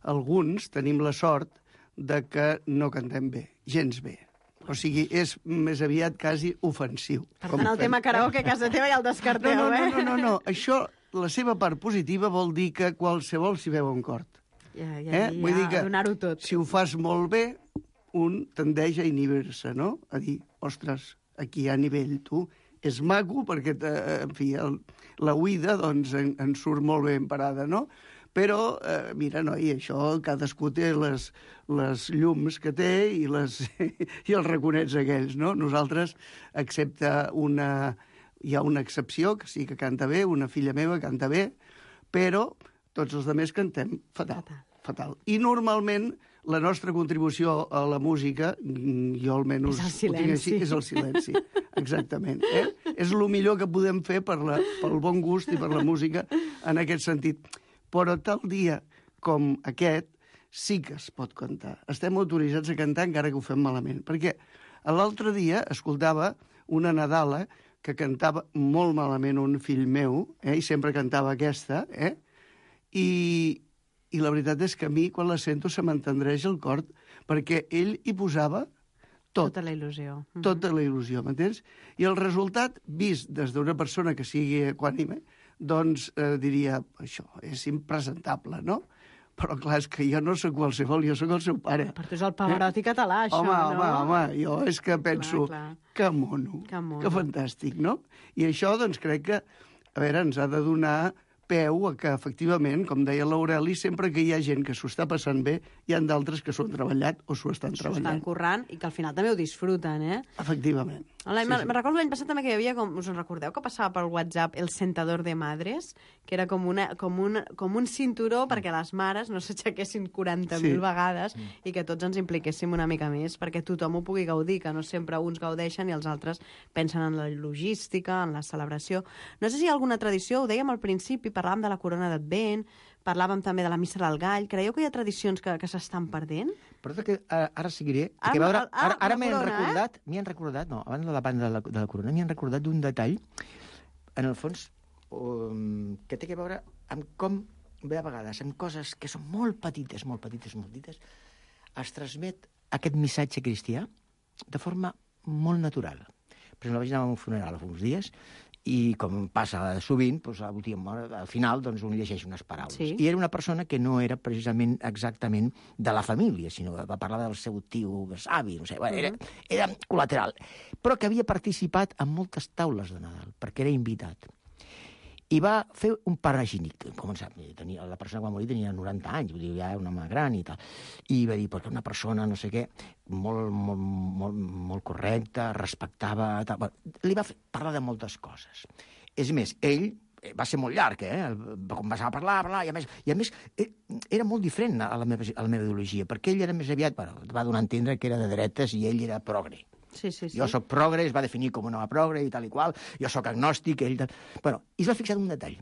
alguns tenim la sort de que no cantem bé, gens bé. O sigui, és més aviat quasi ofensiu. Per tant, el tema karaoke a casa teva ja el descarteu, no, no, eh? no, no, no, no. Això, la seva part positiva vol dir que qualsevol s'hi veu en cort. Ja, ja, Eh? ja, Vull dir que donar-ho tot. si ho fas molt bé, un tendeix a inhibir-se, no? A dir, ostres, aquí hi ha nivell, tu. És maco perquè, en fi, el, la oïda doncs, en, en surt molt ben parada, no? Però, eh, mira, no, i això cadascú té les, les llums que té i, les, i els raconets aquells, no? Nosaltres, excepte una... Hi ha una excepció, que sí que canta bé, una filla meva canta bé, però tots els altres cantem fatal, Fatal. fatal. I normalment la nostra contribució a la música, mm, jo almenys És el ho tinc així, silenci. és el silenci. Exactament. Eh? És el millor que podem fer per la, pel bon gust i per la música en aquest sentit. Però tal dia com aquest sí que es pot cantar. Estem autoritzats a cantar encara que ho fem malament. Perquè l'altre dia escoltava una Nadala que cantava molt malament un fill meu, eh? I sempre cantava aquesta, eh? I, i la veritat és que a mi, quan la sento, se m'entendreix el cor, perquè ell hi posava tot, Tota la il·lusió. Mhm. tota la il·lusió, m'entens? I el resultat, vist des d'una persona que sigui equànime, doncs eh, diria, això és impresentable, no? Però clar, és que jo no sóc qualsevol, jo sóc el seu pare. Per tu és el Pavarotti català, això, home, no? home, home, jo és que penso, clar. que mono, Que mono. que fantàstic, no? I això, doncs, crec que, a veure, ens ha de donar peu a que, efectivament, com deia l'Aureli, sempre que hi ha gent que s'ho està passant bé, hi ha d'altres que s'ho han treballat o s'ho estan S'ho estan treballant. currant i que al final també ho disfruten, eh? Efectivament. L'any, Sí, sí. Me recordo l'any passat també que hi havia, com, us en recordeu, que passava per WhatsApp el sentador de madres, que era com, una, com, una, com un cinturó perquè les mares no s'aixequessin quaranta mil Sí. vegades i que tots ens impliquéssim una mica més perquè tothom ho pugui gaudir, que no sempre uns gaudeixen i els altres pensen en la logística, en la celebració. No sé si hi ha alguna tradició, ho dèiem al principi, parlàvem de la corona d'Advent, parlàvem també de la missa del gall. Creieu que hi ha tradicions que, que s'estan perdent? Però que ara, ara seguiré. Ah, que, a veure, ah, ah, ara ara la m'he corona, recordat, m'hi han recordat, no, abans de la banda de la, de la corona, m'hi han recordat d'un detall, en el fons, um, que té a veure amb com, bé, a vegades, amb coses que són molt petites, molt petites, molt petites, es transmet aquest missatge cristià de forma molt natural. Per exemple, vaig anar a un funeral fa uns dies i, com passa sovint, doncs, a l'última hora, al final doncs, un llegeix unes paraules. Sí. I era una persona que no era precisament exactament de la família, sinó que va parlar del seu tio savi, no sé, bueno, era, era col·lateral, però que havia participat en moltes taules de Nadal, perquè era invitat. I va fer un panegíric, com sap, tenia, la persona que va morir tenia noranta anys, vull dir, ja era un home gran i tal. I va dir, perquè una persona, no sé què, molt, molt, molt, molt correcta, respectava... Tal. Bueno, li va fer, parlar de moltes coses. És més, ell va ser molt llarg, eh? Va començar a parlar, a parlar, i a més, i a més era molt diferent a la meva, a la meva ideologia, perquè ell era més aviat, bueno, va donar a entendre que era de dretes i ell era progre. Sí, sí, sí. Jo soc progre, es va definir com una progre i tal i qual, jo soc agnòstic, ell... Tal... Bueno, i es va fixar en un detall,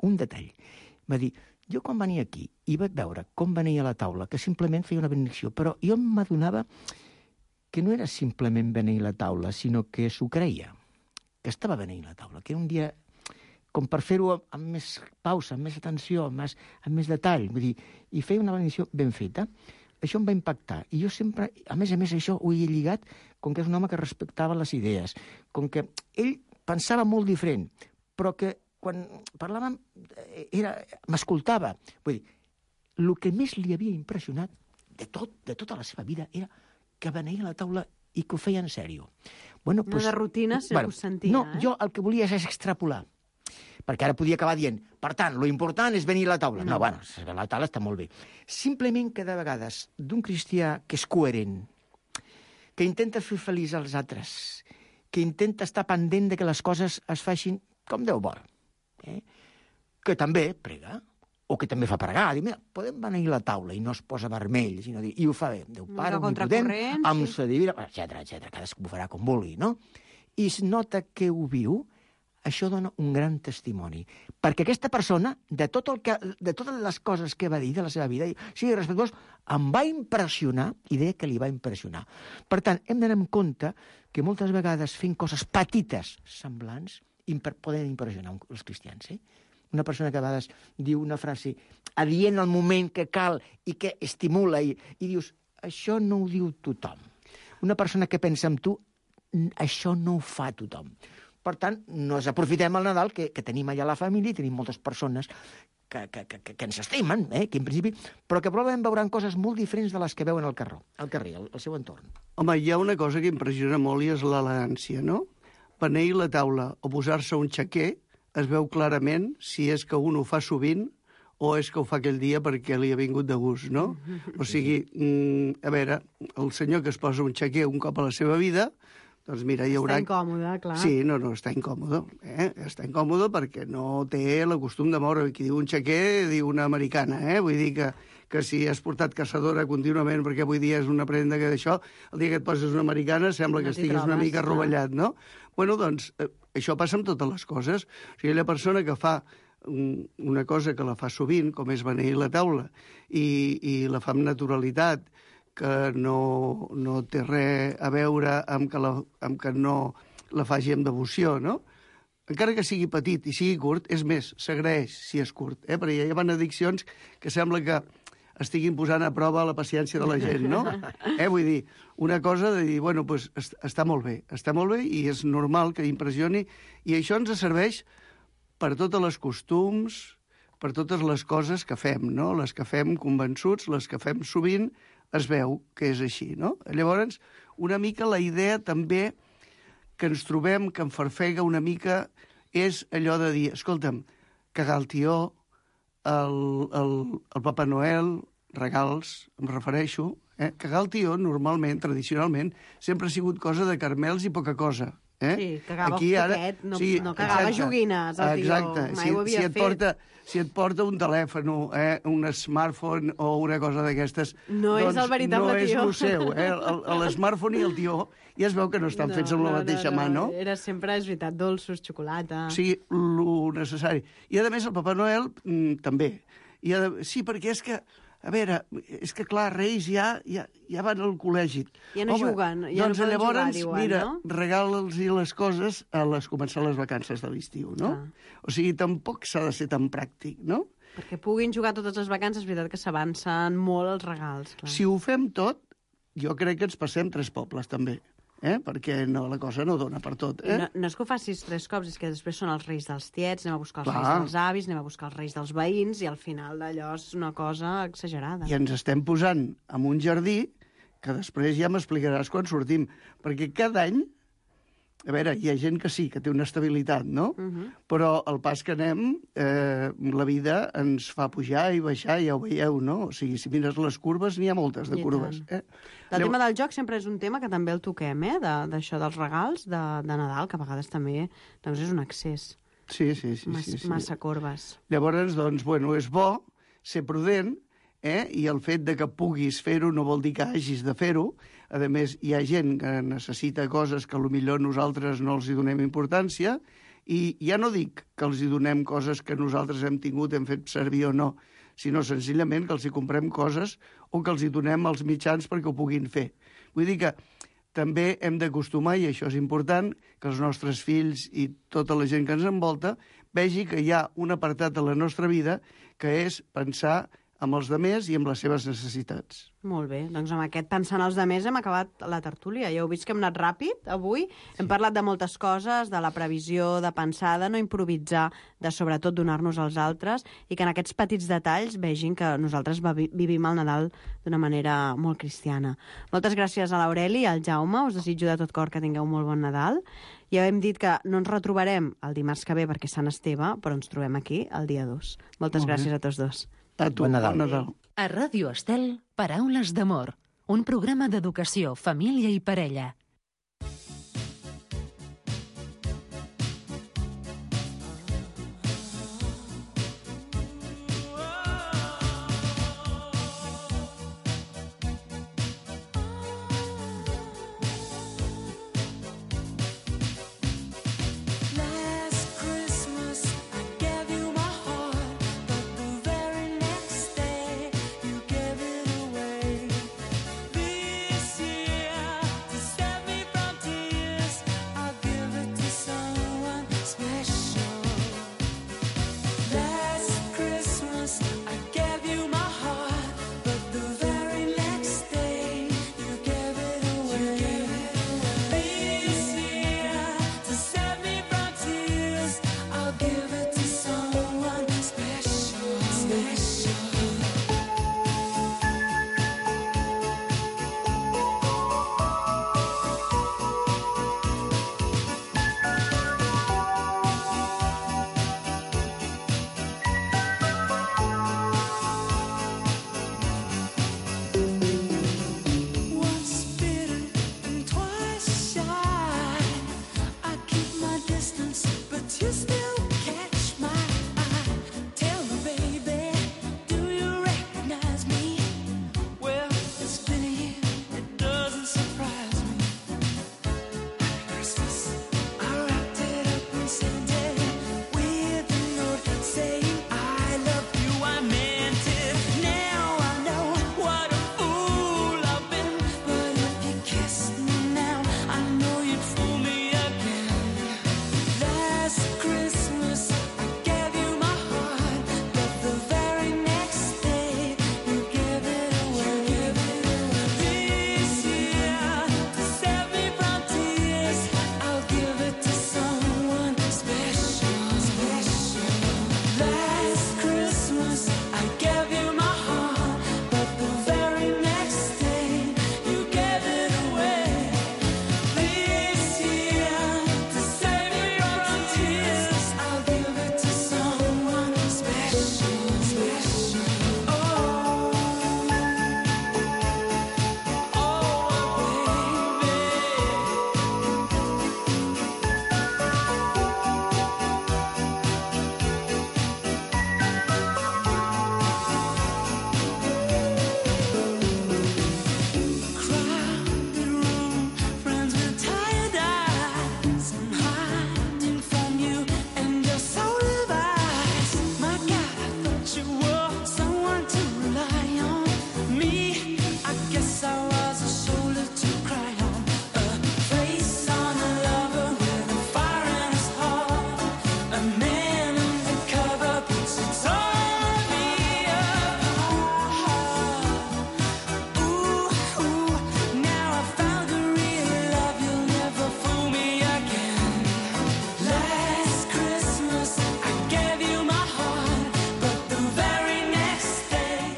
un detall. Va dir, jo quan venia aquí i vaig veure com venia a la taula, que simplement feia una benedicció, però jo m'adonava que no era simplement beneir la taula, sinó que s'ho creia, que estava beneint la taula, que era un dia com per fer-ho amb més pausa, amb més atenció, amb més, amb més detall, vull dir, i feia una benedicció ben feta. Això em va impactar. I jo sempre, a més a més, això ho he lligat com que és un home que respectava les idees, com que ell pensava molt diferent, però que quan parlàvem era, m'escoltava. Vull dir, el que més li havia impressionat de tot, de tota la seva vida era que beneia a la taula i que ho feia en sèrio. Bueno, no pues, de rutina, si bueno, ho sentia. No, eh? jo el que volia és extrapolar. Perquè ara podia acabar dient, per tant, lo important és venir a la taula. No, no bueno, la taula està molt bé. Simplement que de vegades d'un cristià que és coherent, que intenta fer feliç als altres, que intenta estar pendent de que les coses es facin com Déu vol, eh? Que també prega, o que també fa pregar, dir, mira, podem venir a la taula i no es posa vermell, sinó dir, i ho fa bé, Déu Pare, omnipotent, amb sí. sa divina, etcètera, etcètera, cadascú ho farà com vulgui, no? I es nota que ho viu. Això dona un gran testimoni. Perquè aquesta persona, de, tot el que, de totes les coses que va dir de la seva vida, sigui respectuós, em va impressionar i deia que li va impressionar. Per tant, hem d'anar amb compte que moltes vegades fent coses petites, semblants, imper poden impressionar els cristians. Eh? Una persona que a vegades diu una frase adient al moment que cal i que estimula i, i dius, això no ho diu tothom. Una persona que pensa en tu, això no ho fa tothom. Per tant, no ens aprofitem el Nadal, que, que tenim allà la família, i tenim moltes persones que, que, que, que ens estimen, eh? Que en principi, però que probablement veuran coses molt diferents de les que veuen al carrer, al carrer, al, al seu entorn. Home, hi ha una cosa que impressiona molt i és l'elegància, no? Beneir la taula o posar-se un xaquer es veu clarament si és que un ho fa sovint o és que ho fa aquell dia perquè li ha vingut de gust, no? O sigui, mm, a veure, el senyor que es posa un xaquer un cop a la seva vida, doncs mira, hi haurà... Està incòmode, clar. Sí, no, no, està incòmode. Eh? Està incòmode perquè no té el costum de moure. Qui diu un xaquer, diu una americana, eh? Vull dir que, que si has portat caçadora contínuament, perquè avui dia és una prenda que d'això, el dia que et poses una americana sembla que no estiguis trobes, una mica clar. rovellat, no? Bueno, doncs, eh, això passa amb totes les coses. O sigui, la persona que fa una cosa que la fa sovint, com és beneir la taula, i, i la fa amb naturalitat, que no, no té res a veure amb que, la, amb que no la faci amb devoció, no? Encara que sigui petit i sigui curt, és més, s'agraeix si és curt, eh? Perquè hi ha benediccions que sembla que estiguin posant a prova la paciència de la gent, no? Eh? Vull dir, una cosa de dir, bueno, doncs està molt bé, està molt bé i és normal que impressioni, i això ens serveix per totes les costums, per totes les coses que fem, no? Les que fem convençuts, les que fem sovint, es veu que és així, no? Llavors, una mica la idea també que ens trobem, que em farfega una mica, és allò de dir, escolta'm, cagar el tió, el, el, el Papa Noel, regals, em refereixo, eh? Cagar el tió, normalment, tradicionalment, sempre ha sigut cosa de carmels i poca cosa. Eh? Sí, cagava aquí, ara, poquet, no, sí, no cagava exacte, joguines, el tio, exacte. mai si, ho havia si et fet. Porta, si et porta un telèfon, eh, un smartphone o una cosa d'aquestes... No doncs és el veritable no tió. No és el seu, eh? L'smartphone i el tió ja es veu que no estan no, fets amb la no, mateixa no, mà, no? Era sempre, és veritat, dolços, xocolata... Sí, lo necessari. I, a més, el Papa Noel mm, també. I, a, sí, perquè és que... A veure, és que, clar, Reis ja, ja, ja van al col·legi. Ja no Home, juguen, ja doncs, no poden llavors, jugar, diuen, mira, no? regala'ls les coses a les començar les vacances de l'estiu, no? Ah. O sigui, tampoc s'ha de ser tan pràctic, no? Perquè puguin jugar totes les vacances, és veritat que s'avancen molt els regals. Clar. Si ho fem tot, jo crec que ens passem tres pobles, també. Eh? Perquè no, la cosa no dona per tot. Eh? No, no és que ho facis tres cops, és que després són els reis dels tiets, anem a buscar els Clar. reis dels avis, anem a buscar els reis dels veïns, i al final d'allò és una cosa exagerada. I ens estem posant en un jardí que després ja m'explicaràs quan sortim. Perquè cada any, a veure, hi ha gent que sí, que té una estabilitat, no? Uh -huh. Però al pas que anem, eh, la vida ens fa pujar i baixar, ja ho veieu, no? O sigui, si mires les curves, n'hi ha moltes de I curves. Eh? El tema del joc sempre és un tema que també el toquem, eh? D'això de, dels regals de, de Nadal, que a vegades també doncs és un excés. Sí, sí, sí. Mas, sí, sí. Massa corbes. Llavors, doncs, bueno, és bo ser prudent eh? I el fet de que puguis fer-ho no vol dir que hagis de fer-ho. A més, hi ha gent que necessita coses que potser nosaltres no els hi donem importància, i ja no dic que els hi donem coses que nosaltres hem tingut, hem fet servir o no, sinó senzillament que els hi comprem coses o que els hi donem els mitjans perquè ho puguin fer. Vull dir que també hem d'acostumar, i això és important, que els nostres fills i tota la gent que ens envolta vegi que hi ha un apartat de la nostra vida que és pensar amb els demés i amb les seves necessitats. Molt bé, doncs amb aquest pensant els demés hem acabat la tertúlia. Ja heu vist que hem anat ràpid avui. Hem parlat de moltes coses, de la previsió, de pensar, de no improvisar, de sobretot donar-nos als altres, i que en aquests petits detalls vegin que nosaltres vivim el Nadal d'una manera molt cristiana. Moltes gràcies a l'Aureli i al Jaume. Us desitjo de tot cor que tingueu un molt bon Nadal. Ja hem dit que no ens retrobarem el dimarts que ve perquè és Sant Esteve, però ens trobem aquí el dia dos. Moltes gràcies a tots dos. A tu, bon Nadal. Bon Nadal. A Ràdio Estel, Paraules d'amor, un programa d'educació, família i parella.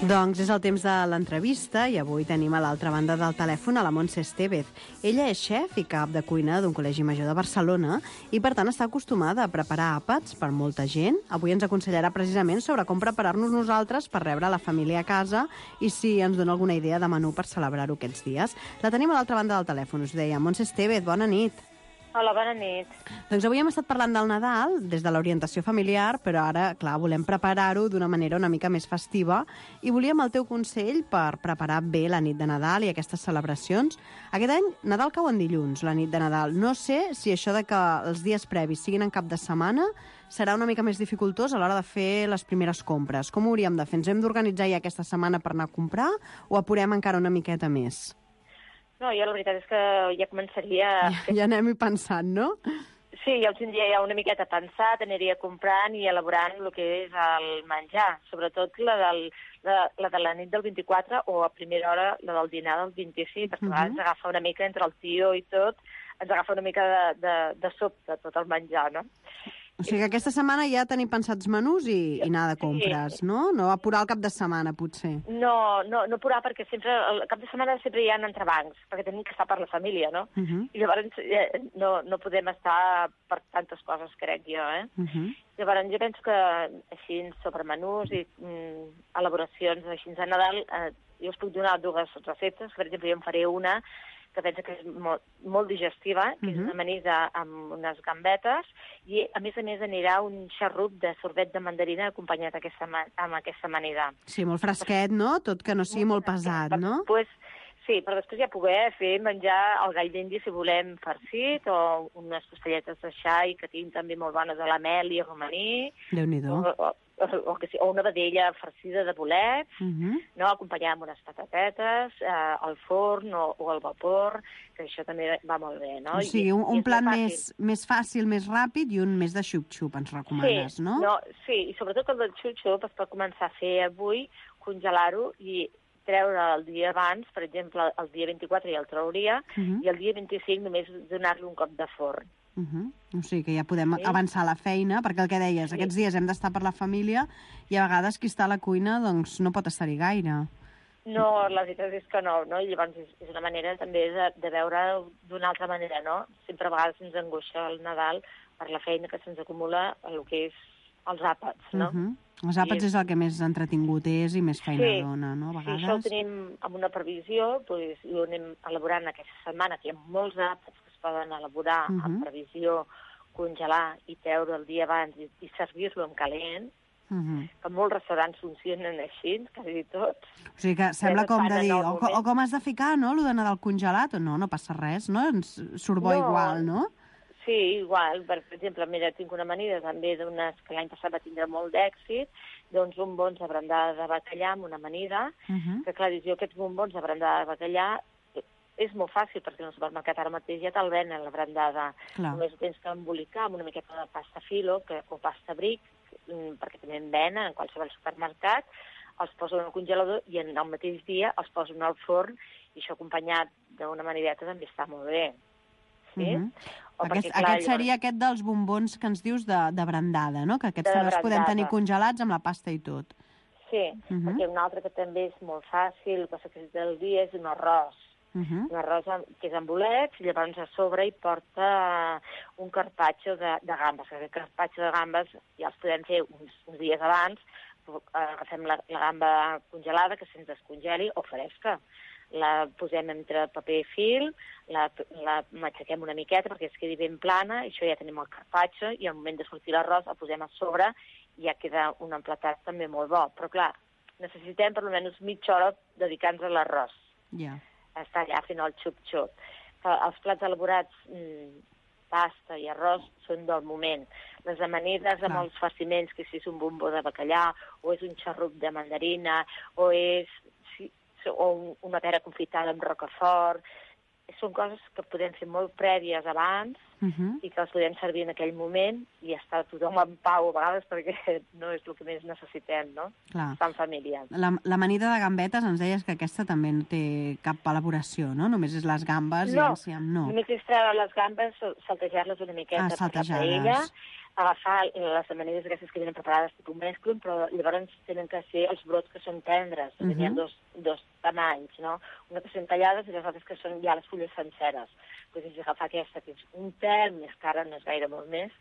Doncs és el temps de l'entrevista i avui tenim a l'altra banda del telèfon a la Montse Estevez. Ella és xef i cap de cuina d'un col·legi major de Barcelona i, per tant, està acostumada a preparar àpats per molta gent. Avui ens aconsellarà precisament sobre com preparar-nos nosaltres per rebre la família a casa i si ens dona alguna idea de menú per celebrar-ho aquests dies. La tenim a l'altra banda del telèfon, us deia. Montse Estevez, bona nit. Hola, bona nit. Doncs avui hem estat parlant del Nadal des de l'orientació familiar, però ara, clar, volem preparar-ho d'una manera una mica més festiva i volíem el teu consell per preparar bé la nit de Nadal i aquestes celebracions. Aquest any, Nadal cau en dilluns, la nit de Nadal. No sé si això de que els dies previs siguin en cap de setmana serà una mica més dificultós a l'hora de fer les primeres compres. Com ho hauríem de fer? Ens hem d'organitzar ja aquesta setmana per anar a comprar o apurem encara una miqueta més? No, jo la veritat és que ja començaria... Ja, ja anem-hi pensant, no? Sí, ja ho tindria ja una miqueta pensat, aniria comprant i elaborant el que és el menjar, sobretot la, del, la, la de la nit del vint-i-quatre o a primera hora la del dinar del vint-i-cinc, perquè uh -huh. ens agafa una mica entre el tio i tot, ens agafa una mica de, de, de sobte tot el menjar, no? O sigui que aquesta setmana ja tenim pensats menús i, i anar de compres, sí. no? No apurar el cap de setmana, potser. No, no, no apurar, perquè sempre, el cap de setmana sempre hi ha entrebancs, perquè tenim que estar per la família, no? Uh -huh. I llavors eh, no, no podem estar per tantes coses, crec jo, eh? Uh -huh. Llavors jo penso que així sobre menús i mm, elaboracions així a Nadal, eh, jo us puc donar dues receptes. Per exemple, jo en faré una que penso que és molt, molt digestiva, que uh -huh. és una amanida amb unes gambetes, i a més a més anirà un xarrup de sorbet de mandarina acompanyat aquesta, amb aquesta amanida. Sí, molt fresquet, no? Tot que no sigui molt, molt pesat, no? Després, sí, però després ja poder fer menjar el gall d'indi si volem farcit, o unes costelletes de xai que tinc també molt bones de la mel i romaní. Déu-n'hi-do. O, o, o, que sí, o una vedella farcida de bolets, uh -huh. no, acompanyada amb unes patatetes, eh, al forn o, o al vapor, que això també va molt bé, no? O sigui, un, un plat més, més fàcil, més ràpid i un més de xup-xup, ens recomanes, sí, no? no? Sí, i sobretot el del xup-xup es pot començar a fer avui, congelar-ho i treure el dia abans, per exemple, el dia vint-i-quatre ja el trauria, uh -huh. i el dia vint-i-cinc només donar-li un cop de forn. Uh -huh. O sigui que ja podem sí. avançar la feina, perquè el que deies, sí. aquests dies hem d'estar per la família i a vegades qui està a la cuina doncs no pot estar-hi gaire. No, la veritat és que no, no? I llavors és, és una manera també de, de veure d'una altra manera, no? Sempre a vegades ens angoixa el Nadal per la feina que se'ns acumula el que és els àpats, no? Uh -huh. Els àpats és... és el que més entretingut és i més feina sí. dona, no? A vegades. Sí, això ho tenim amb una previsió, doncs, i ho anem elaborant aquesta setmana, que hi ha molts àpats que es poden elaborar uh -huh. amb previsió, congelar i treure el dia abans i, i servir-lo en calent, uh -huh. que molts restaurants funcionen així, quasi tots. O sigui que sembla com de dir, o, o com has de ficar, no?, allò d'anar del congelat, o no, no passa res, no? Ens surt bo no. igual, no? Sí, igual. Per exemple, mira, tinc una amanida també d'unes que l'any passat va tindre molt d'èxit, doncs bombons de brandada de bacallà amb una amanida, uh -huh. que clar, jo aquests bombons de brandada de bacallà és molt fàcil, perquè en el supermercat ara mateix ja te'l venen, la brandada. Clar. Només ho tens que embolicar amb una miqueta de pasta filo que, o pasta bric, perquè també en venen en qualsevol supermercat, els poso en el congelador i en el mateix dia els poso en el forn, i això acompanyat d'una amanideta també està molt bé. Sí? Uh -huh. Aquest, perquè, clar, aquest seria llavors... aquest dels bombons que ens dius de, de brandada, no? Que aquests també els podem tenir congelats amb la pasta i tot. Sí, uh -huh. perquè un altre que també és molt fàcil, el que s'ha fet del dia, és un arròs. Uh -huh. Un arròs que és amb bolets, i llavors a sobre hi porta un carpaccio de, de gambes. Aquest carpaccio de gambes ja els podem fer uns, uns dies abans, agafem la, la gamba congelada, que se'ns descongeli, o fresca. La posem entre paper i fil, la, la matxaquem una miqueta perquè es quedi ben plana, i això ja tenim el carpaccio, i al moment de sortir l'arròs el posem a sobre i ja queda un emplatat també molt bo. Però clar, necessitem per almenys mitja hora dedicant-nos a l'arròs. Ja. Yeah. Està allà fent el xup-xup. Els plats elaborats, mmm, pasta i arròs, són del moment. Les amanides amb els farciments, que si és un bombó de bacallà, o és un xarrup de mandarina, o és o una pera confitada amb rocafort, són coses que podem fer molt prèvies abans, uh -huh. i que les podem servir en aquell moment i estar tothom en pau a vegades, perquè no és el que més necessitem, no? Clar. Estar en família. La, l'amanida de gambetes ens deies que aquesta també no té cap elaboració, no? Només és les gambes no, i enciam, no? Només és treure les gambes, saltejar-les una miqueta ah, per la paella, agafar les amanides aquestes que vienen preparades tipus mesclun, però llavors tenen que ser els brots que són tendres, uh -huh. Hi ha dos, dos tamanys, no? Una que són tallades i les altres que són ja les fulles senceres. Doncs és agafar aquesta, que és un pèl més cara, no és gaire molt més,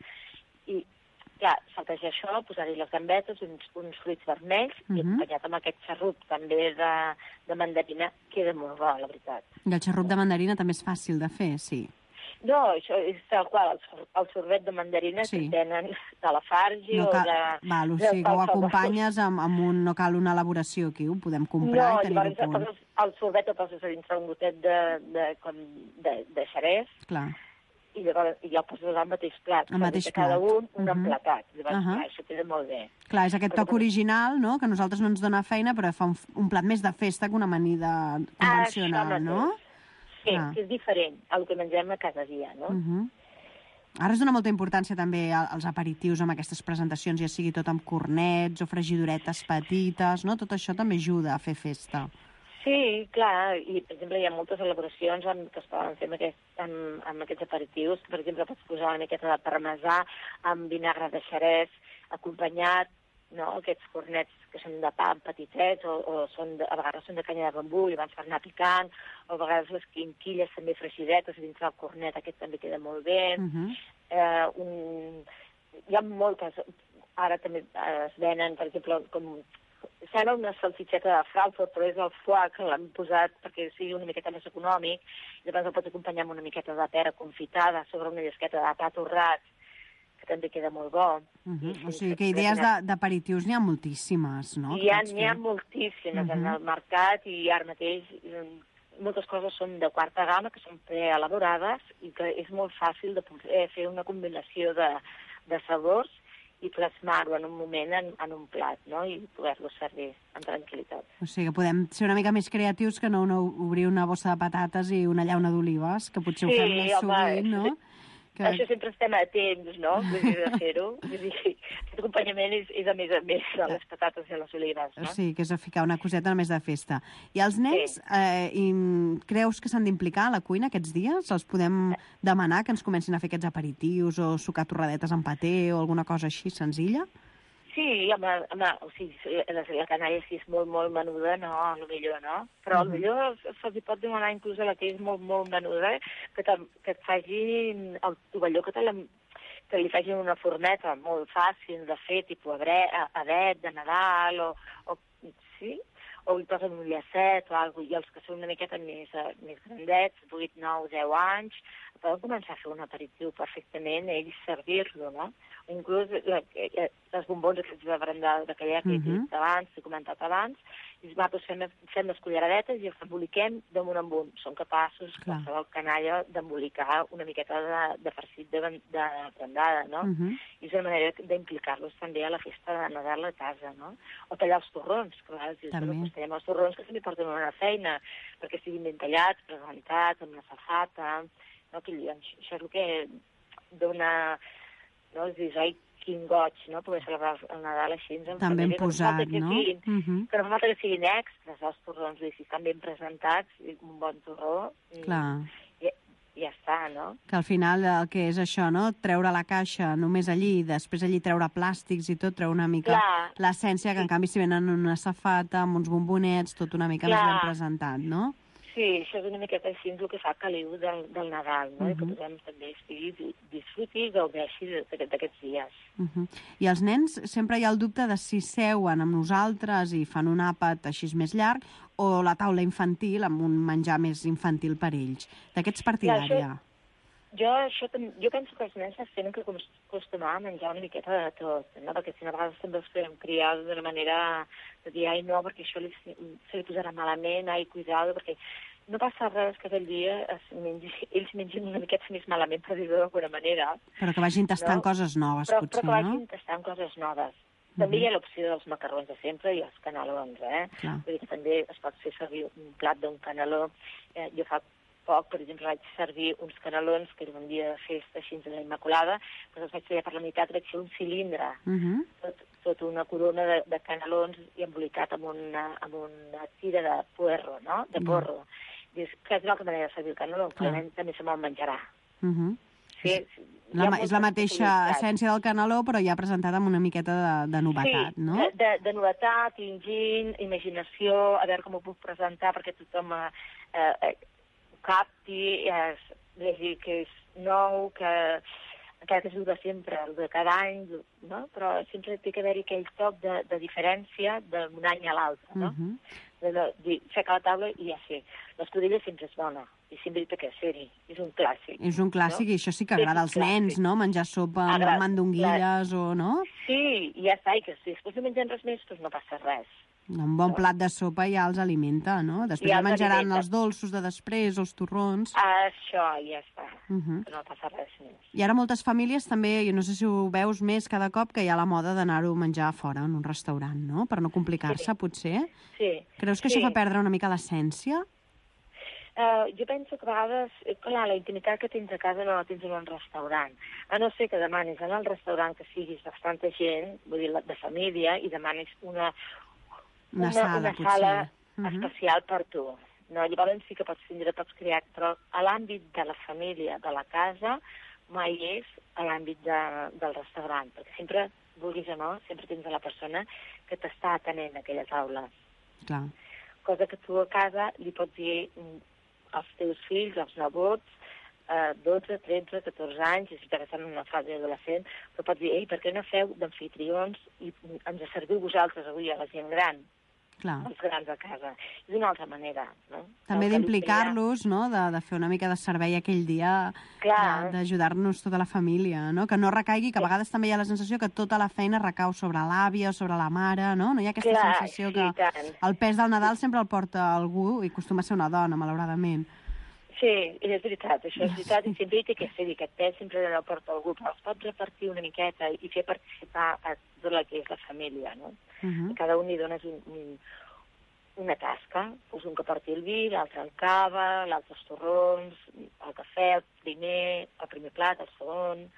i clar, saltejar això, posar-hi les gambetes, uns, uns fruits vermells, uh -huh. i acompanyat amb aquest xarrup també de, de mandarina, queda molt bo, la veritat. I el xarrup de mandarina també és fàcil de fer, sí. No, això és tal qual, el, sor el sorbet de mandarina sí. que tenen de la Fargi no o cal... de... Val, o de sigui que ho acompanyes amb, amb un... No cal una elaboració aquí, ho podem comprar no, i tenir-ho a punt. No, el sorbet el poses a dintre un gotet de, de, com de, de xerès. Clar. I llavors i el poses al mateix plat. Al mateix cada plat. un un uh -huh. emplatat. Llavors, uh -huh. clar, això queda molt bé. Clar, és aquest toc original, no?, que a nosaltres no ens dona feina, però fa un, un plat més de festa que una amanida convencional, ah, no? Sí, ah. que és diferent al que mengem a cada dia, no? Uh -huh. Ara es dona molta importància també als aperitius amb aquestes presentacions, ja sigui tot amb cornets o fregidoretes petites, no? Tot això també ajuda a fer festa. Sí, clar, i per exemple hi ha moltes elaboracions amb, que es poden fer amb, aquest, amb, amb aquests aperitius. Per exemple, pots posar una miqueta de parmesà amb vinagre de xerès acompanyat, no? Aquests cornets que són de pa petitets o, o són de, a vegades són de canya de bambú i abans per anar picant, o a vegades les quinquilles també fregidetes dintre del cornet, aquest també queda molt bé. Uh -huh. eh, un... Hi ha moltes, ara també es venen, per exemple, com... Sembla una salsitxeta de Frankfurt, però és el foie que l'han posat perquè sigui una miqueta més econòmic, i llavors el pots acompanyar amb una miqueta de pera confitada sobre una llesqueta de pa torrat, que també queda molt bo. Uh -huh. O sigui que idees d'aperitius n'hi ha moltíssimes, no? Hi ha, n'hi ha moltíssimes uh -huh. en el mercat, i ara mateix moltes coses són de quarta gamma, que són preelaborades, i que és molt fàcil de poder fer una combinació de, de sabors i plasmar-ho en un moment en, en un plat, no? I poder-lo servir amb tranquil·litat. O sigui que podem ser una mica més creatius que no, no obrir una bossa de patates i una llauna d'olives, que potser sí, ho fem més home, sovint, no? Que... Això sempre estem a temps, no?, de fer-ho. Aquest acompanyament és, és a més a més de les patates i les olives, no? Sí, que és a ficar una coseta més de festa. I els nens, sí. eh, i creus que s'han d'implicar a la cuina aquests dies? Els podem demanar que ens comencin a fer aquests aperitius o sucar torradetes amb paté o alguna cosa així senzilla? Sí, home, home o sigui, la, la canalla si és molt, molt menuda, no, a lo millor no. Però uh -huh. millor se'ls pot demanar inclús a la que és molt, molt menuda, que, que et facin el tovalló, que, te la, que li facin una forneta molt fàcil de fer, tipus adet de Nadal, o, o sí, o hi posen un llacet o alguna cosa, i els que són una miqueta més, més grandets, vuit, nou, deu anys, poden començar a fer un aperitiu perfectament, ells servir-lo, no? Inclús les bombons aquests de brandar d'aquella que he dit abans, he comentat abans, i nosaltres fem, fem les culleradetes i els emboliquem damunt en un. Són capaços, qualsevol canalla, d'embolicar una miqueta de, de farcit de, de brandada, no? Uh -huh. I és una manera d'implicar-los també a la festa de Nadal a casa, no? O tallar els torrons, que a vegades dius, bueno, doncs tallem els torrons que també porten una feina, perquè siguin ben tallats, presentats, amb una safata, no? Que això és el que dona... No? És dir, ai, quin goig, no?, poder celebrar el Nadal així. Tan ben posat, que no? Siguin, uh -huh. Que no fa falta que siguin extras, els torrons, si estan ben presentats, un bon torró, clar. I, i ja està, no? Que al final el que és això, no?, treure la caixa només allí, després allí treure plàstics i tot, treure una mica l'essència, que en canvi si venen una safata, amb uns bombonets, tot una mica clar. Més ben presentat, no? Sí, això és una miqueta així el que fa caliu del, del Nadal, no? Uh -huh. I que tothom també estigui, disfruti i gaudeixi d'aquests dies. Uh -huh. I els nens, sempre hi ha el dubte de si seuen amb nosaltres i fan un àpat així més llarg, o la taula infantil amb un menjar més infantil per ells. D'aquests partidària. Jo, això, jo penso que els nens es tenen que acostumar a menjar una miqueta de tot, no? Perquè si no, a vegades també els podem criar d'una manera de dir, ai, no, perquè això li, se li posarà malament, ai, cuidado, perquè no passa res que aquell dia es mengi, ells mengin una miqueta més malament, per dir-ho d'alguna manera. Però que vagin tastant no? coses noves, però, potser, no? Però que vagin no? tastant coses noves. També uh -huh. hi ha l'opció dels macarrons de sempre i els canelons, eh? Clar. Vull dir que també es pot fer servir un plat d'un caneló. Eh, jo fa poc, per exemple, vaig servir uns canelons, que era un dia de festa així de la Immaculada, però els vaig fer per la meitat, vaig fer un cilindre, uh -huh. tot, tot una corona de, de canelons i embolicat amb una, amb una tira de puerro, no?, de porro. Uh -huh. Dius, que és una altra manera de servir el caneló, que uh -huh. també se me'l menjarà. Uh -huh. Sí, la, és la mateixa essència del caneló, però ja presentada amb una miqueta de, de novetat, sí, no? Sí, de, de, de novetat, ingent, imaginació, a veure com ho puc presentar perquè tothom eh, eh, capti, es vegi que és nou, que encara que es diu de sempre, el de cada any, no? Però sempre té que haver-hi aquell toc de, de diferència d'un any a l'altre, no? Uh -huh. de, de, de fer a la taula i ja sé, l'escudella sempre és bona, i sempre té que ser-hi, és un clàssic. És un clàssic, no? I això sí que agrada als nens, no? Menjar sopa amb Agrada, mandonguilles o no? Sí, i ja està, i que si després no mengen res més, doncs no passa res. Un bon no. plat de sopa ja els alimenta, no? Després ja menjaran alimenta. Els dolços de després, els torrons... Això, ja està, uh -huh. no passa res més. I ara moltes famílies també, jo no sé si ho veus més cada cop, que hi ha la moda d'anar-ho a menjar fora, en un restaurant, no? Per no complicar-se, sí. potser. Sí. Creus que sí. això fa perdre una mica l'essència? Uh, jo penso que a vegades, clar, la intimitat que tens a casa no la tens en un restaurant. A no ser que demanis en el restaurant que siguis bastanta gent, vull dir, de família, i demanis una... Una, una sala, una sala uh -huh. especial per tu. No? Llavors sí que pots tindre, pots crear, però a l'àmbit de la família, de la casa, mai és a l'àmbit de, del restaurant, perquè sempre, vulguis o no, sempre tens la persona que t'està atenent a aquella taula. Clar. Cosa que tu a casa li pots dir als teus fills, als nebots, eh, dotze, tretze, catorze anys, i si t'estan en una fase adolescent, però pots dir, ei, per què no feu d'amfitrions i ens serviu vosaltres avui a la gent gran? Clar. Els grans a casa. És d'una altra manera, no? També d'implicar-los, no? De, de fer una mica de servei aquell dia, d'ajudar-nos tota la família, no? Que no recaigui, que a vegades també hi ha la sensació que tota la feina recau sobre l'àvia o sobre la mare, no? No hi ha aquesta Clar, sensació sí, que tant. el pes del Nadal sempre el porta algú i acostuma a ser una dona, malauradament. Sí, és veritat, això és veritat, i sempre hi té que ser, i aquest pes sempre el porta algú, però es pot repartir una miqueta i fer participar a tot el que és la família, no? Uh -huh. Cada un li dones un, un, una tasca, doncs un que porti el vi, l'altre el cava, l'altre els torrons, el cafè, el primer, el primer plat, el segon,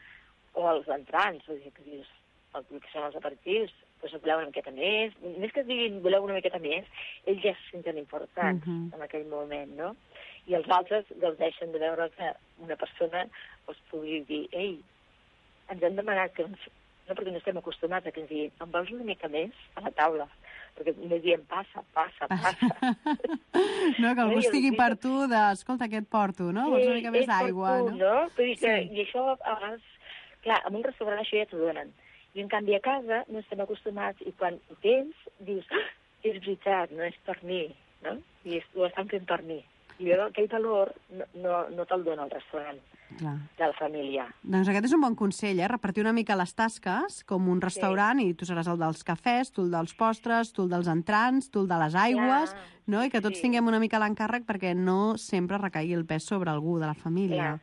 o els entrants, vull dir, que dius, el que són els aperitius, doncs voleu una miqueta més, més que diguin voleu una miqueta més, ells ja se senten importants uh -huh. en aquell moment, no? I els altres gaudeixen de veure que una persona els pugui dir, ei, ens han demanat que ens... no perquè no estem acostumats a que ens diguin, em vols una mica més a la taula? Perquè només diem, passa, passa, passa. No, que algú estigui per tu de, escolta, què et porto, no? Sí, vols una mica més d'aigua, no? no? Que, sí. I això, a vegades, clar, en un restaurant això ja t'ho donen. I en canvi a casa no estem acostumats i quan ho tens, dius, ah, és veritat, no és per mi, no? I és, ho estan fent per mi. I llavors aquell valor no, no, no te'l dona el restaurant Clar. de la família. Doncs aquest és un bon consell, eh? Repartir una mica les tasques com un restaurant sí. i tu seràs el dels cafès, tu el dels postres, tu el dels entrants, tu el de les aigües, Clar. no? I que tots sí. tinguem una mica l'encàrrec perquè no sempre recaigui el pes sobre algú de la família. Clar.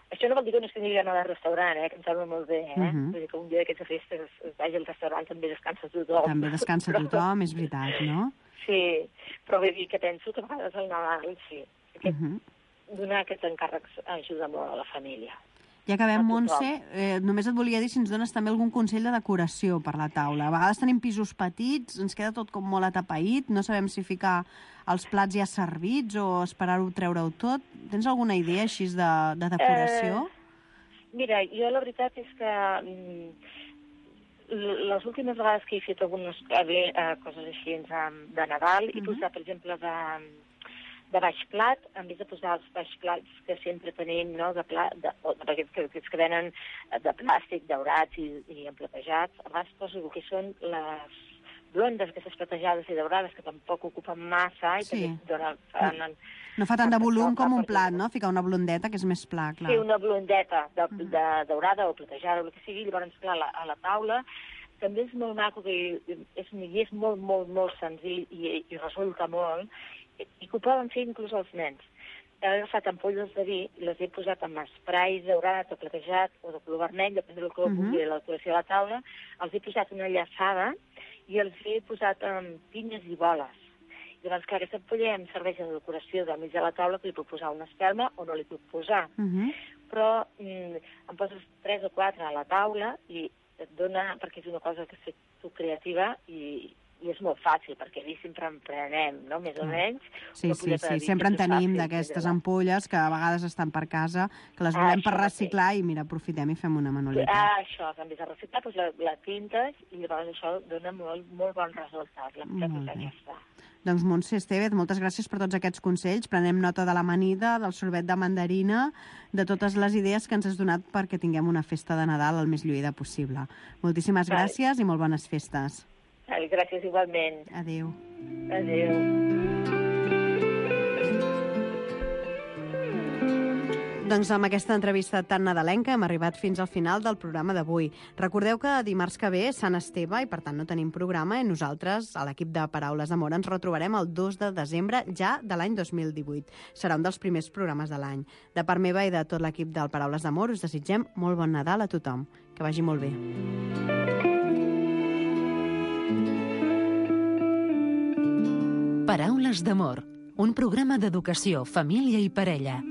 Això no vol dir que no es tingui d'anar al restaurant, eh? Que em sembla molt bé, eh? Uh -huh. Vull dir que un dia d'aquests festes es vagi al restaurant també descansa tothom. També descansa però... tothom, és veritat, no? Sí, però vull dir que penso que a vegades al Nadal, sí, aquest, uh -huh. donar aquests encàrrecs ajuda molt a la família. Ja acabem, Montse, eh, només et volia dir si ens dones també algun consell de decoració per la taula. A vegades tenim pisos petits, ens queda tot com molt atapeït, no sabem si ficar els plats ja servits o esperar-ho, treure-ho tot. Tens alguna idea així de, de decoració? Eh, mira, jo la veritat és que mm, les últimes vegades que he fet algunes eh, coses així de Nadal, uh-huh. he posat, per exemple, de... de baix plat, en vez de posar els baix plats que sempre tenim, no?, de pla, de, o d'aquests que, que venen de plàstic, daurats i, i emplatejats, a vegades poso el que són les blondes, aquestes platejades i daurades, que tampoc ocupen massa i sí. també donen... Fan, no fa tant de volum com un plat, no?, ficar una blondeta, que és més pla, clar. Sí, una blondeta de, de, de daurada o platejada, o el que sigui, llavors, clar, a la, a la taula també és molt maco, que és, i és molt, molt, molt senzill i, i resulta molt, i que ho poden fer inclús els nens. He agafat ampolles de vi i les he posat amb esprai daurat o platejat o de color vermell, depèn del color que vulgui, uh -huh. la decoració a la taula, els he posat una llaçada i els he posat amb pinyes i boles. I llavors, clar, aquesta ampolla em serveix de decoració del mig de la taula, que li puc posar una espelma o no li puc posar. Uh -huh. Però mm, em poses tres o quatre a la taula i et dona, perquè és una cosa que sé tu creativa i i és molt fàcil, perquè allà sempre en prenem, no?, més o menys. Sí, sí, sí, sempre en tenim d'aquestes ampolles que a vegades estan per casa, que les volem ah, per reciclar i, mira, aprofitem i fem una manualitat. Ah, això, que en vez de reciclar, doncs la, la tintes i llavors això dona molt, molt bon resultat. La molt bé. Ja està. Doncs Montse Estevez, moltes gràcies per tots aquests consells. Prenem nota de l'amanida, del sorbet de mandarina, de totes les idees que ens has donat perquè tinguem una festa de Nadal el més lluïda possible. Moltíssimes Vale. gràcies i molt bones festes. Vale, gràcies igualment. Adéu. Adéu. Doncs amb aquesta entrevista tan nadalenca hem arribat fins al final del programa d'avui. Recordeu que dimarts que ve és Sant Esteve i per tant no tenim programa i nosaltres, a l'equip de Paraules d'Amor, ens retrobarem el dos de desembre ja de l'any dos mil divuit. Serà un dels primers programes de l'any. De part meva i de tot l'equip del Paraules d'Amor us desitgem molt bon Nadal a tothom. Que vagi molt bé. Paraules d'Amor, un programa d'educació, família i parella.